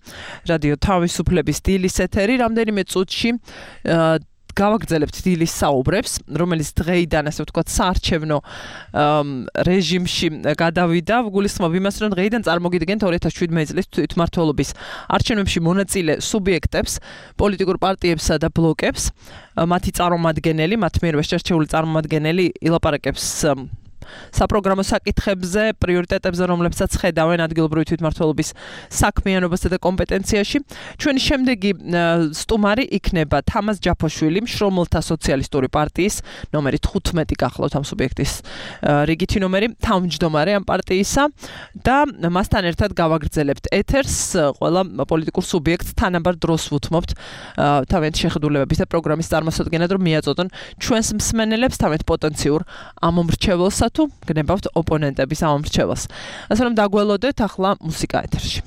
რადიო თავისუფლების დილის ეთერი. რამდენიმე წუთში გავაგრძელებთ დილის საუბრებს, რომელიც დღეიდან ასე ვთქვათ საარჩევნო რეჟიმში გადავიდა. გულისხმობ იმას, რომ დღეიდან წარმოგიდგენთ 2017 წლის თვითმმართველობის არჩევნებში მონაწილე სუბიექტებს, პოლიტიკურ პარტიებსა და ბლოკებს, მათი წარმომადგენელი, მათ მიერვე შერჩეული წარმომადგენელი ილაპარაკებს საპროგრამო საკითხებზე, პრიორიტეტებზე, რომლებსაც ხედავენ ადგილობრივი თვითმმართველობის საქმიანობასა და კომპეტენციაში. ჩვენი შემდეგი სტუმარი იქნება თამაზ ჯაფოშვილი, მშრომელთა სოციალისტური პარტიის ნომერი 15 გახლავთ ამ სუბიექტის რიგითი ნომერი, თავმჯდომარე ამ პარტიისა და მასთან ერთად გავაგრძელებთ ეთერს, ყველა პოლიტიკურ სუბიექტს თანაბარ დროს ვუთმობთ თავიანთი შეხედულებების და პროგრამის წარმოსადგენად, რომ მიაწოდონ ჩვენს მსმენელებს თავიანთ პოტენციურ ამომრჩეველსა თუ გნებავთ ოპონენტების ამომრჩეველს. ასე რომ დაგველოდეთ ახლა მუსიკა ეთერში.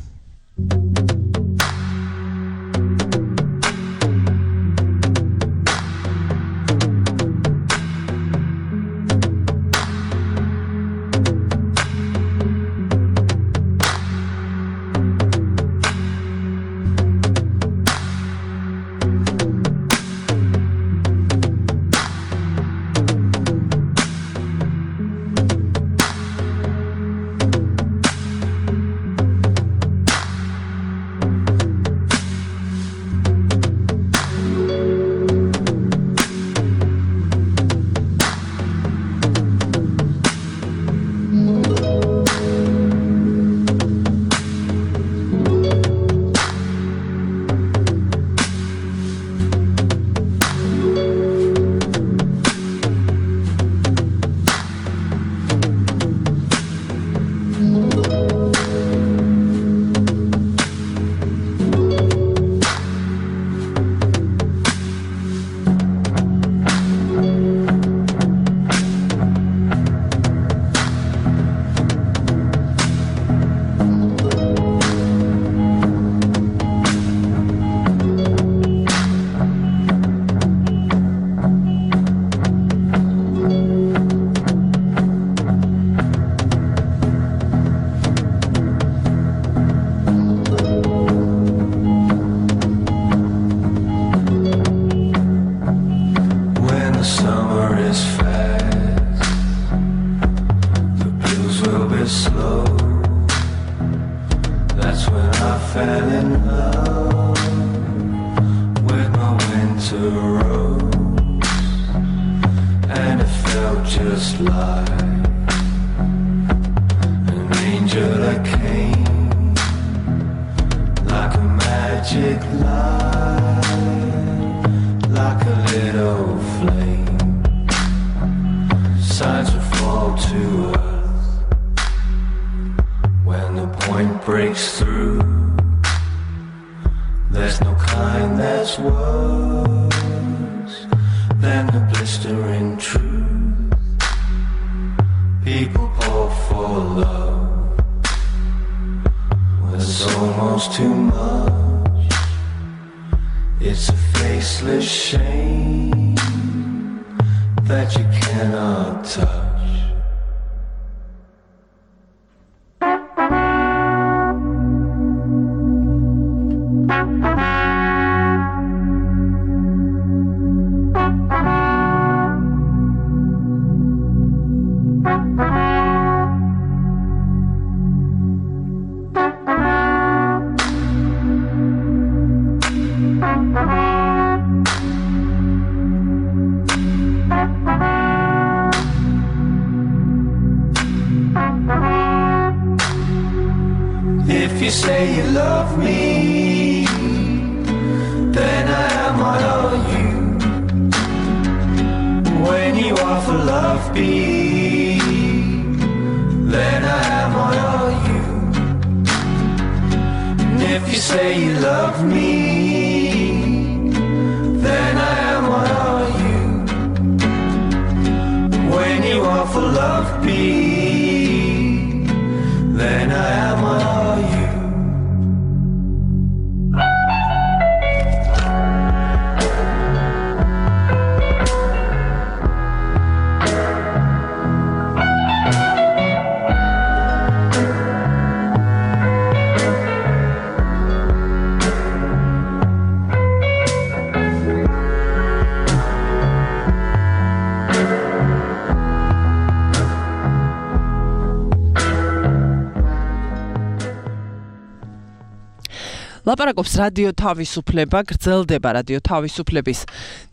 ლაპარაკობს რადიო თავისუფლება, გრძელდება რადიო თავისუფლების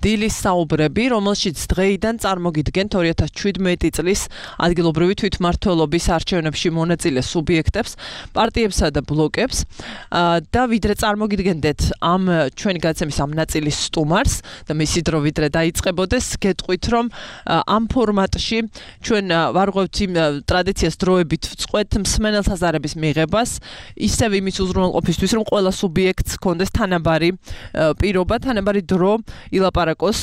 დილის საუბრები, რომელშიც დღეიდან წარმოგიდგენთ 2017 წლის ადგილობრივი თვითმმართველობის არჩევნებში მონაწილე სუბიექტებს, პარტიებსა და ბლოკებს და ვიდრე წარმოგიდგენდეთ ამ ჩვენი გადაცემის ამ ნაწილის სტუმარს და მისი დრო ვიდრე დაიწყებოდეს, გეტყვით რომ ამ ფორმატში ჩვენ ვარღვევთ იმ ტრადიციას დროებით ვწყვეთ მსმენელთა ზარების მიღებას, ისევ იმის უზრუნველყოფისთვის რომ ყველა სუბიექტს კონდეს თანაბარი პირობა, თანაბარი დრო ილაპარაკოს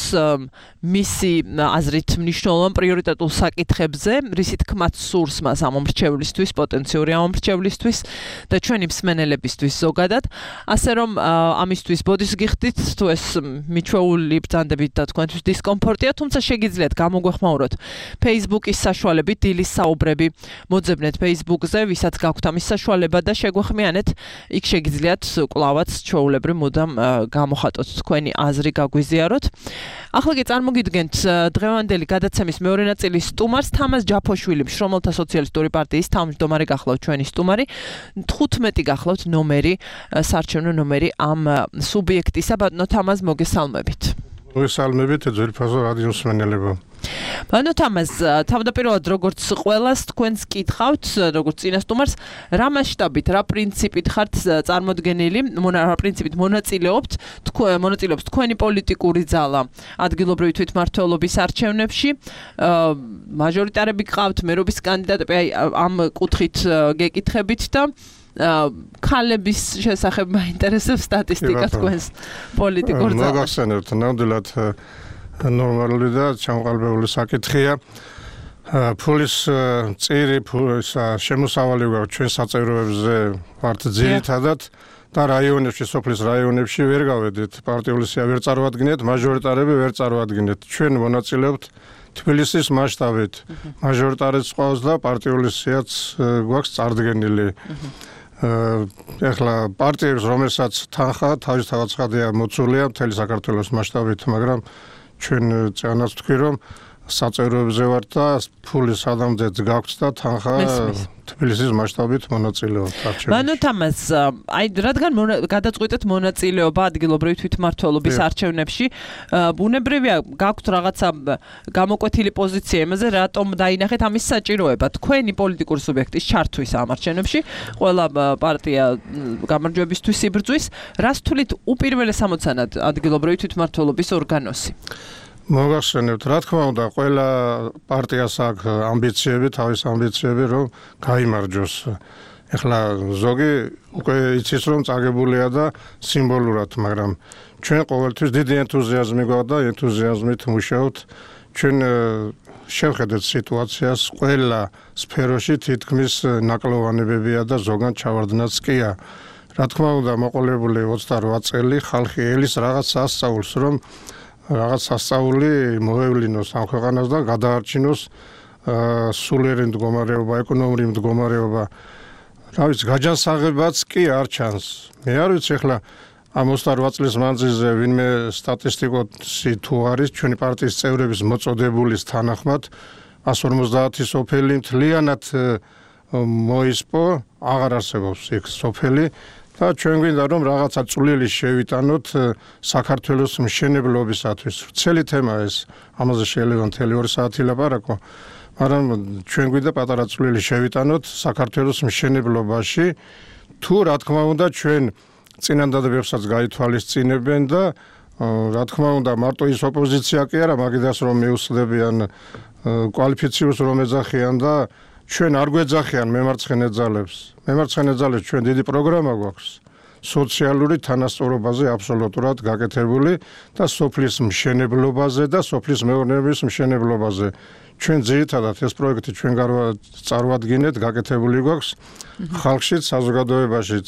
მისი აზრით მნიშვნელოვან პრიორიტეტულ საკითხებზე, რისი თქმაც სურს მას ამომრჩევლისთვის, პოტენციური ამომრჩევლისთვის და ჩვენი მსმენელებისთვის ზოგადად, ასე რომ ამისთვის ბოდის გიხდით, თუ ეს მიჩვეული ბრძანდებით და თქვენთვის დისკომფორტია, თუმცა შეგიძლიათ გამოგვეხმაუროთ Facebook-ის საშუალებით დილის საუბრები მოძებნეთ Facebook-ზე, ვისაც გაქვთ ამის საშუალება და შეგვეხმიანეთ, იქ შეგიძლიათ კლავაც ჩვეულებრივ მუდამ გამოხატოთ თქვენი აზრი გაგვიზიაროთ. ახლა კი წარმოგიდგენთ დღევანდელი გადაცემის მეორე ნაწილის სტუმარს, თამაზ ჯაფოშვილი, მშრომელთა სოციალისტური პარტიის თავმჯდომარე გახლავთ ჩვენი სტუმარი. 15 გახლავთ ნომერი, საარჩევნო ნომერი ამ სუბიექტისა. ბატონო თამაზ, მოგესალმებით. მოგესალმებით, ძვირფასო რადიო მსმენელებო. ბატონო თამაზ, თავდაპირველად როგორც ყველას თქვენს კითხავთ, როგორც წინასტუმარს, რა მასშტაბით, რა პრინციპით ხართ წარმოდგენილი, რა პრინციპით მონაწილეობთ თქვენი პოლიტიკური ძალა ადგილობრივი თვითმმართველობის არჩევნებში, მაჟორიტარები გყავთ, მერობის კანდიდატები, აი ამ კუთხით გეკითხებით და ქალების შესახებ მაინტერესებს სტატისტიკა თქვენს პოლიტიკურ ძალაში. მოგახსენებთ, ნამდვილად ნორმალური და ჩამოყალიბებული საკითხია. ფულის წირი შემოსავალი გვაქვს ჩვენ საწევროებზე ვართ ძირითადად და რაიონებში, სოფლის რაიონებში ვერ გავედით. პარტიული სია ვერ წარვადგინეთ, მაჟორიტარები ვერ წარვადგინეთ. ჩვენ მონაწილეობთ თბილისის მასშტაბით. მაჟორიტარიც ყავს და პარტიული სიაც გვაქვს წარდგენილი. ეხლა პარტიებს, რომელსაც თანხა თავისთავად ცხადია მოცულია მთელი საქართველოს მასშტაბით, მაგრამ ჩვენ წანაც ვთქვი რომ საწევროებზე ვართ და ფული სადამდეც გაგვთ და თანხა თბილისის მასშტაბით მონაწილეობთ არჩევნებში. ბატონო თამაზ, აი რადგან გადაწყვეტეთ მონაწილეობა ადგილობრივი თვითმმართველობის არჩევნებში, ბუნებრივია გაქვთ რაღაცა გამოკვეთილი პოზიცია იმაზე, რატომ დაინახეთ ამის საჭიროება თქვენი პოლიტიკური სუბიექტის ჩართვის ამ არჩევნებში, ყველა პარტია გამარჯვებისთვის იბრძვის, რას თვლით უპირველეს ამოცანად ადგილობრივი თვითმმართველობის ორგანოსი? მოგახსენებთ, რა თქმა უნდა, ყველა პარტიას აქვს ამბიციები, თავის ამბიციები, რომ გაიმარჯვოს. ეხლა ზოგი უკვე იცის, რომ წაგებულია და სიმბოლურად, მაგრამ ჩვენ ყოველთვის დიდი ენთუზიაზმი გვაქვს და ენთუზიაზმით მუშაობთ. ჩვენ შევხედეთ სიტუაციას ყველა სფეროში თითქმის ნაკლოვანებებია და ზოგან ჩავარდნაც კია. რა თქმა უნდა, მოყოლებული 28 წელი ხალხი ელის რაღაც ასწავლს, რომ რაღაც სასწაული მოევლინოს ამ ქვეყანას და გადაარჩინოს სულიერი მდგომარეობა, ეკონომიური მდგომარეობა. რა ვიცი, გაჯანსაღებაც კი არ ჩანს. მე არ ვიცი ახლა ამ 28 წლის მანძილზე ვინმე სტატისტიკოსი თუ არის ჩვენი პარტიის წევრების მოწოდებულის თანახმად 150 სოფელი მთლიანად მოისპო, აღარ არსებობს იქ სოფელი. და ჩვენ გვინდა რომ რაღაცა წვლილი შევიტანოთ საქართველოს მშენებლობისათვის. ვრცელი თემა ეს, ამაზე შეიძლება მთელი 2 საათი ლაპარაკო, მაგრამ ჩვენ გვინდა პატარა წვლილი შევიტანოთ საქართველოს მშენებლობაში, თუ რა თქმა უნდა ჩვენ წინანდადებებსაც გაითვალისწინებენ და რა თქმა უნდა მარტო ის ოპოზიცია კი არა, მაგიდას რომ მიუსწრებიან კვალიფიციურს რომ ეძახიან და ჩვენ არ გვეძახიან მემარცხენე ძალებს. მემარცხენე ძალებს ჩვენ დიდი პროგრამა გვაქვს. სოციალური თანასწორობაზე აბსოლუტურად გაკეთებული და სოფლის მშენებლობაზე და სოფლის მეურნეობის მშენებლობაზე. ჩვენ ძირითადად ეს პროექტი ჩვენ წარვადგინეთ, გაკეთებული გვაქვს ხალხშიც, საზოგადოებაშიც.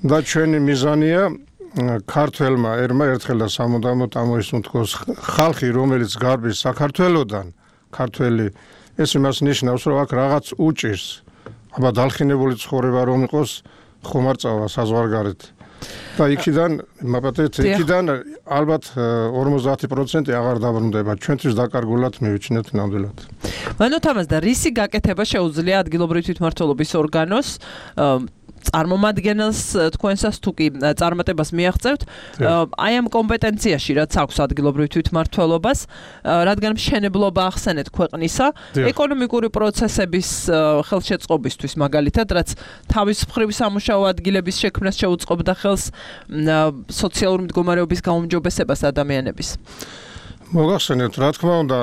და ჩვენი მიზანია ქართველმა ერმა ერთხელ და სამუდამოდ ამოისუნთქოს ხალხი, რომელიც გარბის საქართველოდან, ქართველი ეს იმას ნიშნავს, რომ აქ რაღაც უჭირს. აბა დალხინებული ცხოვრება რომ იყოს, ხომ არ წავა საზღვარგარეთ. და იქიდან, მაპატეთ, იქიდან ალბათ 50% აღარ დაბრუნდება. ჩვენთვის დაკარგულად მივიჩნეთ ნამდვილად. ბანო თამაზ და რისი გაკეთება შეუძლია ადგილობრივი თვითმმართველობის ორგანოს წარმომადგენელს თქვენსას თუ კი წარმატებას მიაღწევთ, აი ამ კომპეტენციაში რაც აქვს ადგილობრივ თვითმმართველობას, რადგან მშენებლობა ახსენეთ ქვეყნისა, ეკონომიკური პროცესების ხელშეწყობისთვის მაგალითად, რაც თავის მხრივ სამუშაო ადგილების შექმნას შეუწყობდა ხელს სოციალური მდგომარეობის გაუმჯობესებას ადამიანების. მოგახსენებთ, რა თქმა უნდა,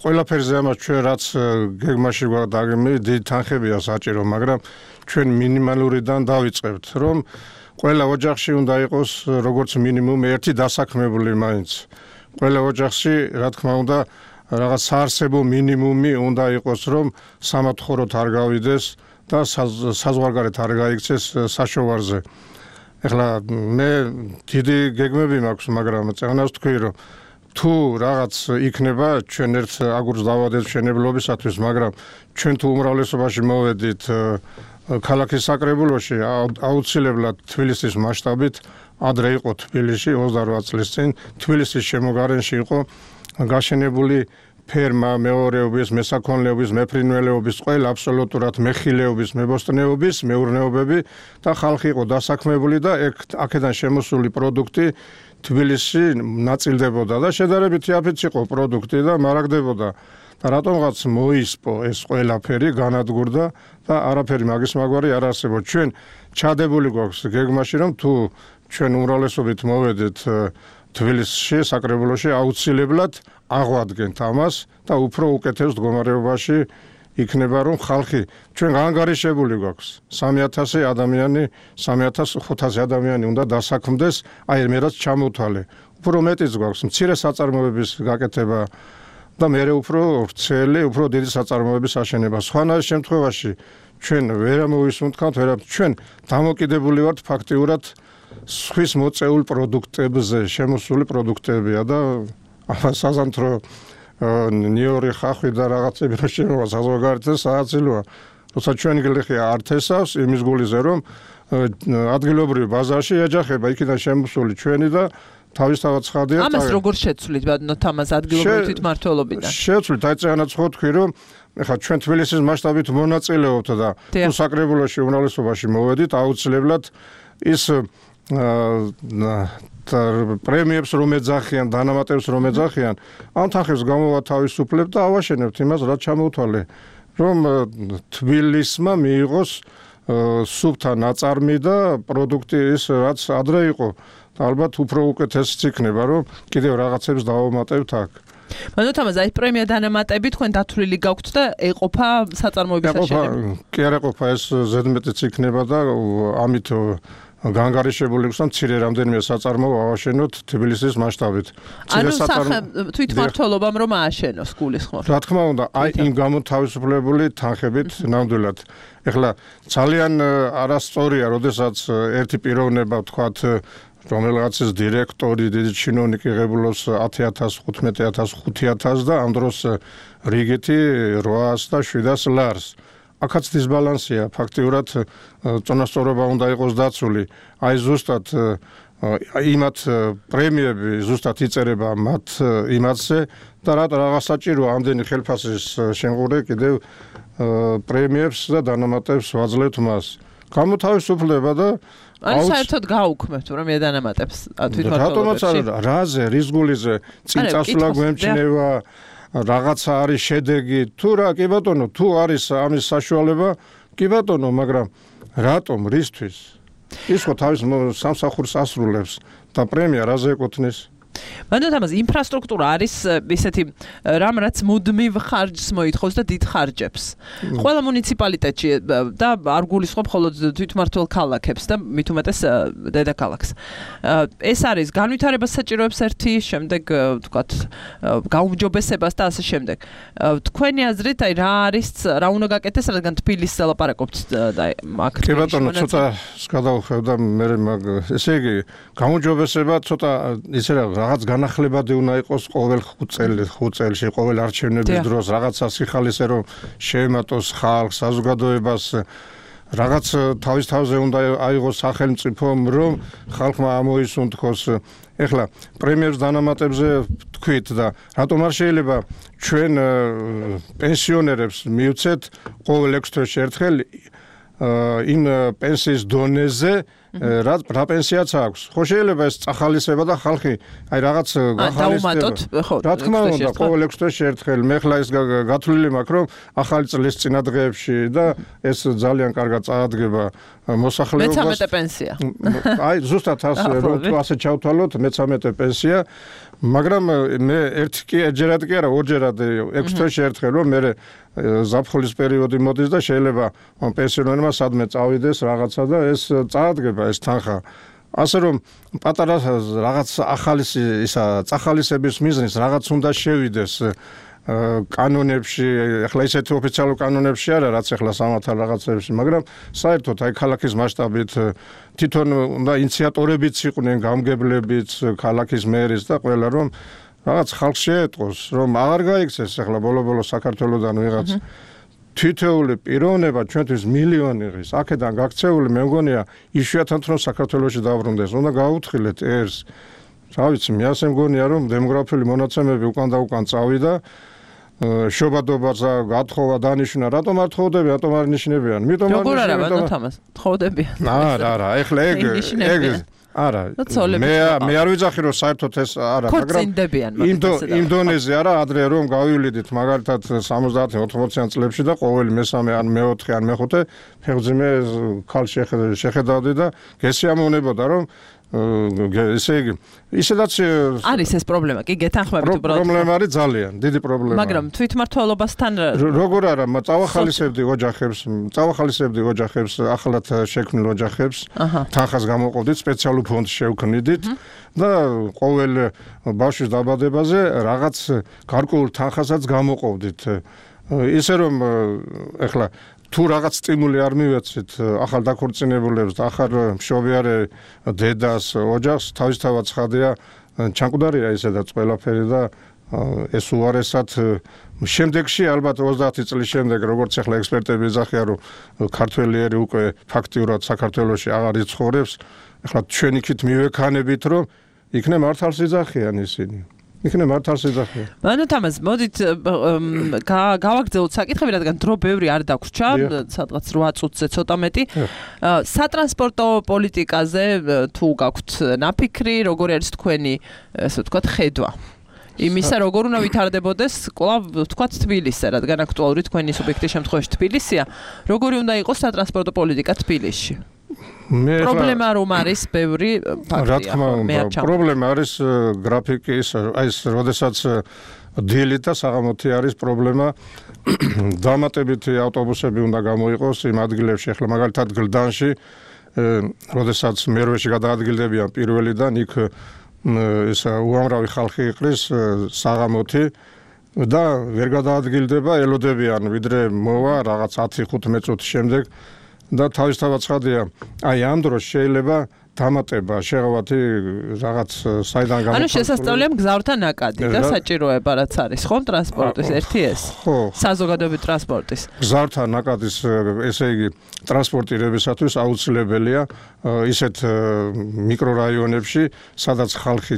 ყველაფერზე ამას ჩვენ რაც გეგმაში გვაქვს დაგეგმილი, დიდი თანხებია საჭირო, მაგრამ ჩვენ მინიმალურიდან დავიწყებთ, რომ ყველა ოჯახში უნდა იყოს როგორც მინიმუმ ერთი დასაქმებული მაინც. ყველა ოჯახში, რა თქმა უნდა, რაღაც საარსებო მინიმუმი უნდა იყოს, რომ სამათხოვროთ არ გავიდეს და საზღვარგარეთ არ გაიქცეს საშოვარზე. ეხლა მე დიდი გეგმები მაქვს, მაგრამ წეგნას თქვი, რომ თუ რაღაც იქნება ჩვენ ერთ აგურს დავადეთ მშენებლობისათვის, მაგრამ ჩვენ თუ უმრავლესობაში მოვედით ქალაქის საკრებულოში, აუცილებლად თბილისის მასშტაბით ადრე იყო თბილისში 28 წლის წინ თბილისის შემოგარენში იყო გაშენებული ფერმა, მეორეობის, მესაქონლეობის, მეფრინველეობის, ყველა აბსოლუტურად მეხილეობის, მებოსტნეობის, მეურნეობები და ხალხი იყო დასაქმებული და აქედან შემოსული პროდუქტი თბილისში ნაწილდებოდა და შედარებით იაფიც იყო პროდუქტი და მარაგდებოდა. და რატომღაც მოისპო ეს ყველაფერი, განადგურდა და არაფერი მაგის მაგვარი არ არსებობს. ჩვენ ჩადებული გვაქვს გეგმაში, რომ თუ ჩვენ უმრავლესობით მოვედეთ თბილისში, საკრებულოში, აუცილებლად აღვადგენთ ამას და უფრო უკეთეს მდგომარეობაში იქნება, რომ ხალხი ჩვენ გაანგარიშებული გვაქვს 3000 ადამიანი, 3500 ადამიანი უნდა დასაქმდეს, აი მე რაც ჩამოვთვალე. უფრო მეტიც გვაქვს მცირე საწარმოების გაკეთება და მე უფრო ვრცელი, უფრო დიდი საწარმოების აშენება. სხვანაირ შემთხვევაში ჩვენ ვერ მოვისუნთქავთ, ჩვენ დამოკიდებული ვართ ფაქტიურად სხვის მოწეულ პროდუქტებზე, შემოსული პროდუქტებია და საზამთრო ნიორი ხახვი და რაღაცები რა შემოვა საზღვარგარეთზე სააცილოა. როცა ჩვენი გლეხი არ თესავს იმის გულიზე, რომ ადგილობრივ ბაზარში ეჯახება იქიდან შემოსული ჩვენი და თავისთავად ცხადია. ამას როგორ შეცვლით ბატონო თამაზ ადგილობრივ თვითმმართველობიდან? შეცვლით, აი წეგანაც ხო თქვი, რომ ეხლა ჩვენ თბილისის მასშტაბით მონაწილეობთ და თუ საკრებულოში უმრავლესობაში მოვედით, აუცილებლად ის პრემიებს რომ ეძახიან, დანამატებს რომ ეძახიან, ამ თანხებს გამოვათავისუფლებთ და ავაშენებთ იმას, რაც ჩამოვთვალე, რომ თბილისმა მიიღოს სუფთა ნაწარმი და პროდუქტი ის რაც ადრე იყო. ალბათ უფრო უკეთესიც იქნება, რომ კიდევ რაღაცებს დავამატებთ აქ. ბატონო თამაზ, აი პრემია დანამატები თქვენ დათვლილი გაქვთ და ეყოფა საწარმოების აშენება? კი არ ეყოფა, ეს ზედმეტიც იქნება და ამით გაანგარიშებული გვაქვს, რომ მცირე რამდენიმე საწარმოო ავაშენოთ თბილისის მასშტაბით. ანუ თვითმმართველობამ რომ ააშენოს გულისხმობ. რა თქმა უნდა, აი იმ გამოთავისუფლებული თანხებით ნამდვილად. ეხლა ძალიან არასწორია, როდესაც ერთი პიროვნება ვთქვათ რომელიღაცის დირექტორი, დიდი ჩინოვნიკი ღებულობს 10000, 15000, 5000 და ამ დროს რიგითი 800 და 700 ლარს. აქაც დისბალანსია, ფაქტიურად წონასწორობა უნდა იყოს დაცული. აი ზუსტად იმათ პრემიები ზუსტად იწერება მათ იმათზე და რაღაც საჭიროა ამდენი ხელფასის შემღვრე კიდევ პრემიებს და დანამატებს ვაძლევთ მას. გამოთავისუფლება და ანუ საერთოდ გაუქმებთ რომ დანამატებს თვითმმართველობებში. რატომაც არა, რაზე, რის გულიზე, წინ წასვლა გვემჩნევა, რაღაცა არის შედეგი, თუ რა, კი ბატონო, თუ არის ამის საშუალება, კი ბატონო, მაგრამ რატომ, რისთვის? ის ხო თავის სამსახურს ასრულებს და პრემია რაზე ეკუთვნის? ბატონო თამაზ, ინფრასტრუქტურა არის ისეთი რამ რაც მუდმივ ხარჯს მოითხოვს და დიდ ხარჯებს. ყველა მუნიციპალიტეტში და არ გულისხმობ მხოლოდ თვითმმართველ ქალაქებს და მით უმეტეს დედაქალაქს. ეს არის განვითარებას საჭიროებს ერთი, შემდეგ ვთქვათ გაუმჯობესებას და ასე შემდეგ. თქვენი აზრით, აი რა არის, რა უნდა გაკეთდეს, რადგან თბილისს ლაპარაკობთ და აქ. კი ბატონო, ცოტა გადავხევ და მე ესე იგი გაუმჯობესება ცოტა ისე რაღაც განახლებადი უნდა იყოს ყოველ 5 წელში, ყოველ არჩევნების დროს, რაღაცა სიხალისე რომ შეემატოს ხალხს, საზოგადოებას, რაღაც თავის თავზე უნდა აიღოს სახელმწიფომ, რომ ხალხმა ამოისუნთქოს. ეხლა პრემიებს დანამატებზე თქვით და რატომ არ შეიძლება ჩვენ პენსიონერებს მივცეთ ყოველ 6 თვეში ერთხელ იმ პენსიის დონეზე რა პენსიაც აქვს. ხო შეიძლება ეს წახალისება და ხალხი აი რაღაც გახალისდება. რა თქმა უნდა, ყოველ 6 თვეში ერთხელ მე ხლა ის გათვლილი მაქვს, რომ ახალი წლის წინადღეებში და ეს ძალიან კარგად წაადგება მოსახლეობას. 13 პენსია. აი ზუსტად ასე ჩავთვალოთ 13 პენსია, მაგრამ მე ერთჯერად კი არა, ორჯერად 6 თვეში ერთხელ რომ მე ზაფხულის პერიოდი მოდის და შეიძლება პენსიონერმა სადმე წავიდეს რაღაცა და ეს წაადგება ეს თანხა. ასე რომ პატარა რაღაც ახალი ისა წახალისების მიზნის რაღაც უნდა შევიდეს კანონებში, ახლა ისეთი ოფიციალურ კანონებში არა, რაც ახლა სამართალ რაღაცებში, მაგრამ საერთოდ აი ქალაქის მასშტაბით თვითონ უნდა ინიციატორებიც იყვნენ, გამგებლებიც, ქალაქის მერის და ყველა რომ რაღაც ხალხს შეეტყოს, რომ აღარ გაიქცეს ახლა ბოლო-ბოლო საქართველოსდან ვიღაც თითოეული პიროვნება ჩვენთვის მილიონი ღირს, აქედან გაქცეული მე მგონია იშვიათად რომ საქართველოში დაბრუნდეს, უნდა გაუთხილეთ ეს. რა ვიცი, მე ასე მგონია რომ დემოგრაფიული მონაცემები უკან და უკან წავიდა, შობადობაზე გათხოვა დანიშნა, რატომ არ თხოვდები, რატომ არ ნიშნებიან? მიტომ როგორ არა, ბატონო თამას, თხოვდებიან. არა, ეხლა ეგ არა, მე არ ვიძახი რომ საერთოდ ეს არა, მაგრამ იმ დონეზე არა, ადრე რომ გავივლიდით მაგალითად 70-80-იან წლებში და ყოველი მესამე ან მეოთხე ან მეხუთე ფეხძიმე ქალს შეხედავდი და გესიამოვნებოდა რომ ესე იგი ისედაც არის ეს პრობლემა, კი გეთანხმებით უბრალოდ. პრობლემა არის ძალიან დიდი პრობლემა. მაგრამ თვითმმართველობასთან როგორ არა, წავახალისებდი ოჯახებს, ახლად შექმნილ ოჯახებს, თანხას გამოყოფდით, სპეციალურ ფონდს შევქმნიდით და ყოველ ბავშვის დაბადებაზე რაღაც გარკვეულ თანხასაც გამოყოფდით. ისე რომ ეხლა თუ რაღაც სტიმული არ მივეცით ახალ დაქორწინებულებს და ახალ მშობიარე დედას, ოჯახს, თავისთავად ცხადია, ჩანკვდარია ისედაც ყველაფერი და ეს უარესად შემდეგში ალბათ 30 წლის შემდეგ, როგორც ახლა ექსპერტები ეძახიან, რომ ქართველიერი უკვე ფაქტიურად საქართველოში აღარ იცხოვრებს, ახლა ჩვენ იქით მივექანებით, რომ იქნებ მართალს იძახიან ისინი. იქნებ მართალს იძახიან. ანუ თამას, მოდით გავაგრძელოთ საკითხები, რადგან დრო ბევრი არ დაგვრჩა, სადღაც 8 წუთზე ცოტა მეტი. სატრანსპორტო პოლიტიკაზე თუ გაქვთ ნაფიქრი, როგორი არის თქვენი, ასე ვთქვათ, ხედვა? იმისა, როგორ უნდა ვითარდებოდეს, კვლავ ვთქვათ თბილისზე, რადგან აქტუალური თქვენი სუბიექტის შემთხვევაში თბილისია, როგორი უნდა იყოს სატრანსპორტო პოლიტიკა თბილისში? პრობლემა რომ არის ბევრი ფაქტია. რა თქმა უნდა, პრობლემა არის გრაფიკის, აი ეს როდესაც დილით და საღამოთი არის პრობლემა. დამატებითი ავტობუსები უნდა გამოიყოს იმ ადგილებში, ახლა მაგალითად გლდანში, როდესაც მერვეში გადაადგილდებიან პირველიდან, იქ ეს უამრავი ხალხი იყრის საღამოთი და ვერ გადაადგილდება, ელოდებიან ვიდრე მოვა რაღაც 10-15 წუთის შემდეგ და თავისთავად ცხადია, აი ამ დროს შეიძლება დამატება შეღავათი რაღაც საიდან გამოყენებული. ანუ შესაძლებელია მგზავრთა ნაკადი და საჭიროება რაც არის, ხომ ტრანსპორტის ერთი ეს? ხო. საზოგადოებრივი ტრანსპორტის. მგზავრთა ნაკადის, ესე იგი, ტრანსპორტირებისათვის აუცილებელია ისეთ მიკრორაიონებში, სადაც ხალხი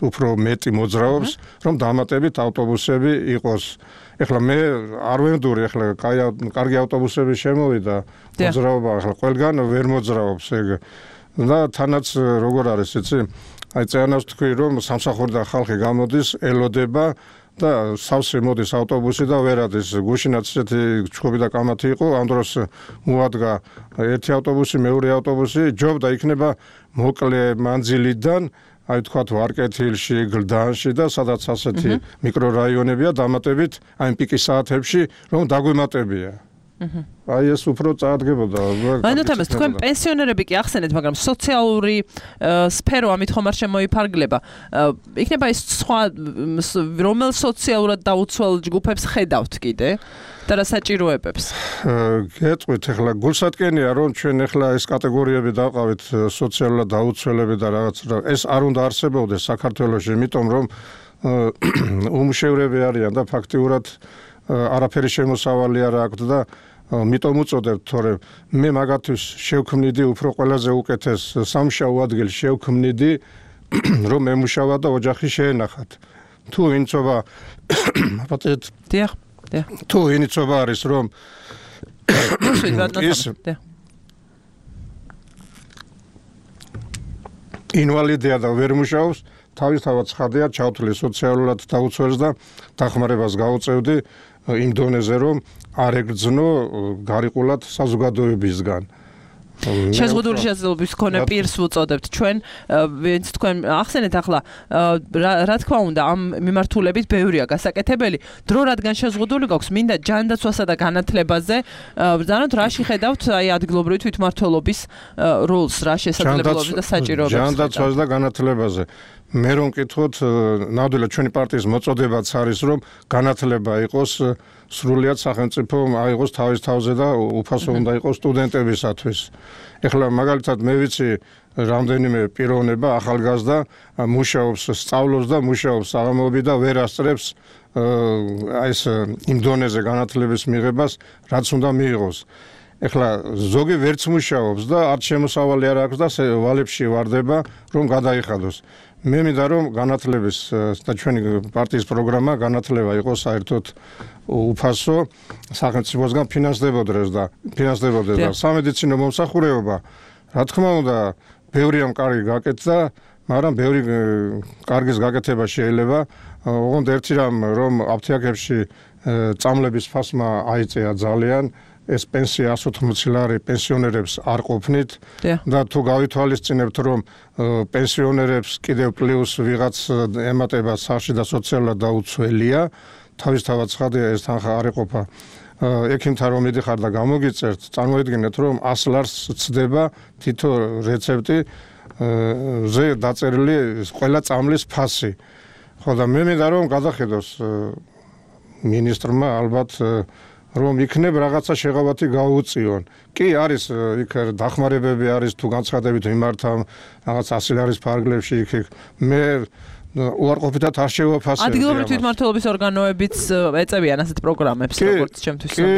უფრო მეტი მოძრაობს, რომ დამატებით ავტობუსები იყოს. ეხლა მე არ ვენდური, ეხლა კარგი ავტობუსები შემოვიდა, მოძრაობა ეხლა ყველგან ვერ მოძრაობს ეგ. და თანაც როგორ არის იცი? აი წერანავს თქვი რომ სამსახურიდან ხალხი გამოდის, ელოდება და სავსე მოდის ავტობუსი და ვერადის. გუშინაც ესეთი ჩხუბი და კამათი იყო, ამ დროს მოადგა ერთი ავტობუსი, მეორე ავტობუსი, ჯობდა იქნება მოკლე მანძილიდან, აი თქვათ ვარკეთილში, გლდანში და სადაც ასეთი მიკრორაიონებია დამატებით აი პიკის საათებში რომ დაგვემატებია. აი ეს უფრო წაადგებოდა. ანუ თამას თქვენ პენსიონერები კი ახსენეთ, მაგრამ სოციალური სფერო ამით ხომ არ შემოიფარგლება. იქნება ის სხვა რომელ სოციალურად დაუცველ ჯგუფებს ხედავთ კიდე და რა საჭიროებებს? გეტყვით, ახლა გულსატკენია რომ ჩვენ ახლა ეს კატეგორიები დავყავით სოციალურად დაუცველები და რაღაც ეს არ უნდა არსებობდეს საქართველოში, იმიტომ რომ უმუშევრები არიან და ფაქტიურად არაფერი შემოსავალი არ აქვთ და მიტომ უწოდებთ, თორემ მე მაგათთვის შევქმნიდი უფრო ყველაზე უკეთეს სამუშაო ადგილს შევქმნიდი, რომ ემუშავა და ოჯახი შეენახათ. თუ ინცობა თუ ინიცობა არის რომ ინვალიდია და ვერ მუშაობს, თავისთავად ცხადია, ჩავთვლი სოციალურად დაუცველს და დახმარებას გაუწევდი იმ დონეზე, რომ არ ეგრძნო გარიყულად საზოგადოებისგან. შეზღუდული შესაძლებლობის მქონე პირს ვუწოდებთ ჩვენ, ვინც თქვენ ახსენეთ ახლა, რა თქმა უნდა, ამ მიმართულებით ბევრია გასაკეთებელი. დრო რადგან შეზღუდული გვაქვს, მინდა ჯანდაცვასა და განათლებაზე ბრძანოთ, რა შეხედავთ აი ადგილობრივი თვითმმართველობის როლს, რა შესაძლებლობებს და საჭიროებებს. ჯანდაცვას და განათლებაზე. მე რომ მკითხოთ, ნამდვილად ჩვენი პარტიის მოწოდებაც არის, რომ განათლება იყოს სრულიად სახელმწიფო აიღოს თავის თავზე და უფასო უნდა იყოს სტუდენტებისათვის. ეხლა მაგალითად მე ვიცი რამდენიმე პიროვნება ახალგაზრდა მუშაობს, სწავლობს და მუშაობს საღამოები და ვერ ასწრებს აი ეს იმ დონეზე განათლების მიღებას, რაც უნდა მიიღოს. ეხლა ზოგი ვერც მუშაობს და არც შემოსავალი არ აქვს და ვალებში ვარდება, რომ გადაიხადოს. მე მინდა რომ განათლების და ჩვენი პარტიის პროგრამა განათლება იყოს საერთოდ უფასო სახელმწიფოსგან ფინანსდებოდეს და სამედიცინო მომსახურება, რა თქმა უნდა, ბევრია კარგი გაკეთდა, მაგრამ ბევრი კარგის გაკეთება შეიძლება. ოღონდ ერთი რამ, რომ აფთიაქებში წამლების ფასმა აიწეა ძალიან, ეს პენსია 180 ლარი პენსიონერებს არ ყოფნით და თუ გავითვალისწინებთ, რომ პენსიონერებს კიდევ პლუს ვიღაც ემატება სახში და სოციალურად დაუცველია, თავისთავად ცხადია ეს თანხა არ ეყოფა ექიმთან რომ მიდიხარ და გამოგიწერთ, წარმოიდგინეთ, რომ 100 ლარს ცდება თითო რეცეპტი ზე დაწერილი ყველა წამლის ფასი. ხო და მე მინდა რომ გადახედოს მინისტრმა ალბათ რომ იქნებ რაღაცა შეღავათი გაუწიონ. კი არის იქ დახმარებები არის თუ განცხადებით მიმართავ რაღაც 100 ლარის ფარგლებში იქ მე უარყოფითად არ შევაფასებ. ადგილობრივი თვითმმართველობის ორგანოებიც ეწევიან ასეთ პროგრამებს, როგორც ჩემთვის. კი,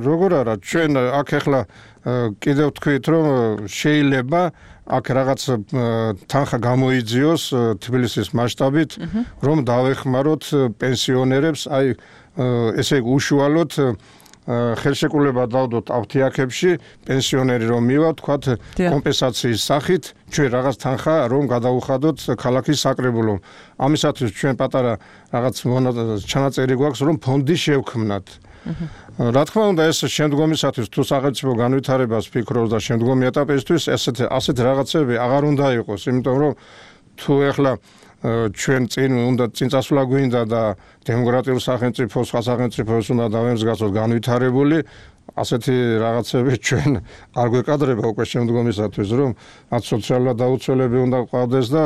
როგორ არა, ჩვენ აქ ახლა კიდევ თქვით, რომ შეიძლება აქ რაღაც თანხა გამოიძიოს თბილისის მასშტაბით, რომ დავეხმაროთ პენსიონერებს, აი ესე უშუალოდ ხელშეკრულება დავდოთ აფთიაქებში, პენსიონერი რომ მივა, თქვათ კომპენსაციის სახით, ჩვენ რაღაც თანხა რომ გადაუხადოთ ქალაქის საკრებულომ. ამისათვის ჩვენ პატარა რაღაც ჩანაწერი გვაქვს, რომ ფონდი შევქმნათ. რა თქმა უნდა, ეს შემდგომისათვის თუ სახელმწიფო განვითარებას ფიქრობს და შემდგომი ეტაპისთვის ასეთ რაღაცები აღარ უნდა იყოს, იმიტომ რომ თუ ეხლა ჩვენ წინ წასვლა გვინდა და დემოკრატიულ სახელმწიფოს, სხვა სახელმწიფოს უნდა დავემსგავსოთ განვითარებული, ასეთი რაღაცები ჩვენ არ გვეკადრება უკვე შემდგომისათვის, რომ არც სოციალურად დაუცველები უნდა ყავდეს და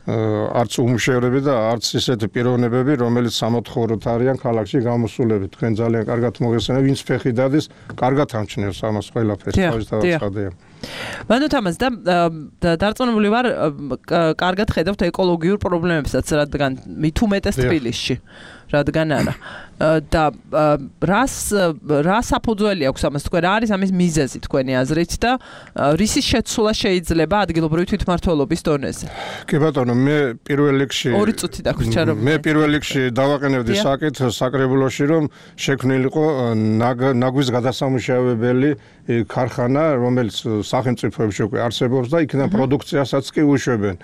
არც უმუშევრები და არც ისეთი პიროვნებები, რომელიც სამოთხოვნოდ არიან ქალაქში გამოსულები. თქვენ ძალიან კარგად მოგესწრებით, ვინც ფეხი დადის, კარგად ამჩნევს ამას ყველაფერს, თავისთავად ცხადია. ბანო თამაზ და დარწმუნებული ვარ, კარგად ხედავთ ეკოლოგიურ პრობლემებსაც, რადგან მით უმეტეს თბილისში, რადგან არა. და რა საფუძველი აქვს ამას, თქვენ რა არის ამის მიზეზი თქვენი აზრით და რისის შეცვლა შეიძლება ადგილობრივი თვითმმართველობის დონეზე? კი ბატონო, მე პირველ რიგში 2 წუთი დაგვრჩა რომ მე პირველ რიგში დავაყენებდი საკითხს საკრებულოში, რომ შექმნილიყო ნაგვის გადასამუშავებელი ქარხანა, რომელიც სახელმწიფოებში უკვე არსებობს და იქიდან პროდუქციასაც კი უშვებენ.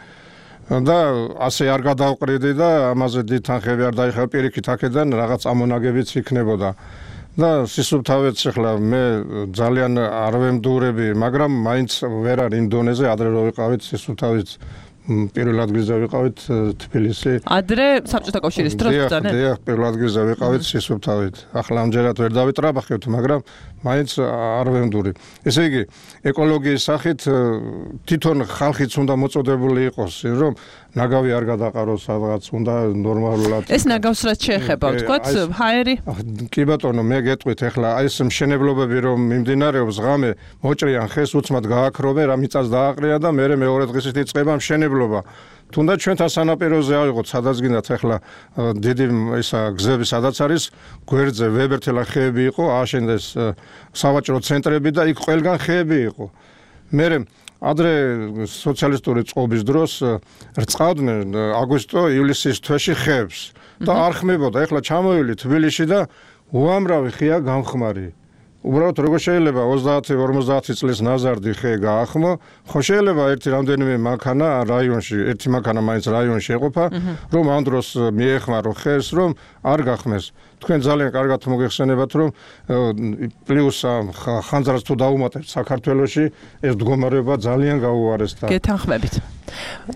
და ასე არ გადავყრიდი და ამაზე დიდ თანხები არ დაიხარ პირიქით აქედან რაღაც ამონაგებიც იქნებოდა. და სისუფთავეც ახლა მე ძალიან არ ვემდურები, მაგრამ მაინც ვერ არის იმ დონეზე, ადრე რო ვიყავით სისუფთავეც პირველ ადგილზე ვიყავით თბილისი. ადრე საბჭოთა კავშირის დროს ბრძანენ? დიახ, პირველ ადგილზე ვიყავით სისუფთავით. ახლა ამჯერად ვერ დავიტრაბახებთ, მაგრამ მაინც არ ვემდური. ესე იგი, ეკოლოგიის სახით თვითონ ხალხიც უნდა მოწოდებული იყოს, რომ ნაგავი არ გადაყაროს სადღაც, უნდა ნორმალურად. ეს ნაგავს რაც შეეხება, ვთქვათ, ჰაერი? კი ბატონო, მე გეტყვით ახლა აი ეს მშენებლობები რომ მიმდინარეობს ღამე, მოჭრიან ხეს, უცმად გააქრობენ, რა მიწას დააყრია და მე მეორე დღისით იწყება მშენებლობა. თუნდაც ჩვენთან სანაპიროზე ავიღოთ, სადაც გინდათ ახლა დიდი ისა გზები სადაც არის, გვერდზე ვებერთელა ხეები იყო, ააშენდეს სავაჭრო ცენტრები და იქ ყველგან ხეები იყო. მე ადრე სოციალისტური წყობის დროს რწყავდნენ აგვისტო-ივლისის თვეში ხეებს და არ ხმებოდა. ეხლა ჩამოვილი თბილისში და უამრავი ხეა გამხმარი. უბრალოდ როგორ შეიძლება 30-50 წლის ნაზარდი ხე გაახმო, ხო შეიძლება ერთი რამდენიმე მანქანა რაიონში, ერთი მანქანა მაინც რაიონში ეყოფა, რომ ამ დროს მიეხმარო ხეს, რომ არ გახმეს. თქვენ ძალიან კარგად მოგეხსენებათ, რომ პლუს ხანძრას თუ დაუმატებთ საქართველოში, ეს მდგომარეობა ძალიან გაუარესდა. გეთანხმებით.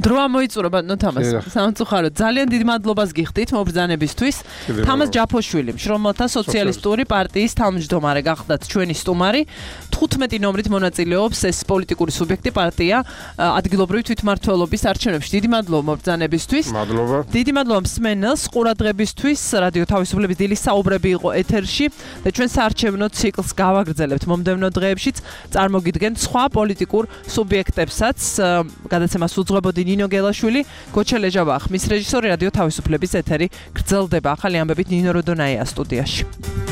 დრო ამოიწურა ბატონო თამას. სამწუხაროდ ძალიან დიდ მადლობას გიხდით მობრძანებისთვის. თამას ჯაფოშვილი, მშრომელთა სოციალისტური პარტიის თავმჯდომარე გახდათ ჩვენი სტუმარი. 15 ნომრით მონაწილეობს ეს პოლიტიკური სუბიექტი პარტია ადგილობრივი თვითმმართველობის არჩევნებში. დიდი მადლობა მობრძანებისთვის. მადლობა. დიდი მადლობა მსმენელს ყურადღებისთვის. რადიო თავისუფლების დილის საუბრები იყო ეთერში და ჩვენ საარჩევნო ციკლს გავაგრძელებთ მომდევნო დღეებშიც. წარმოგიდგენთ სხვა პოლიტიკურ სუბიექტებსაც. გადაცემას უძღვებოდი ნინო გელაშვილი, გოჩელეჟა ვახ, მის რეჟისორი რადიო თავისუფლების ეთერი გრძელდება. ახალი ამბებით ნინო როდონაია სტუდიაში.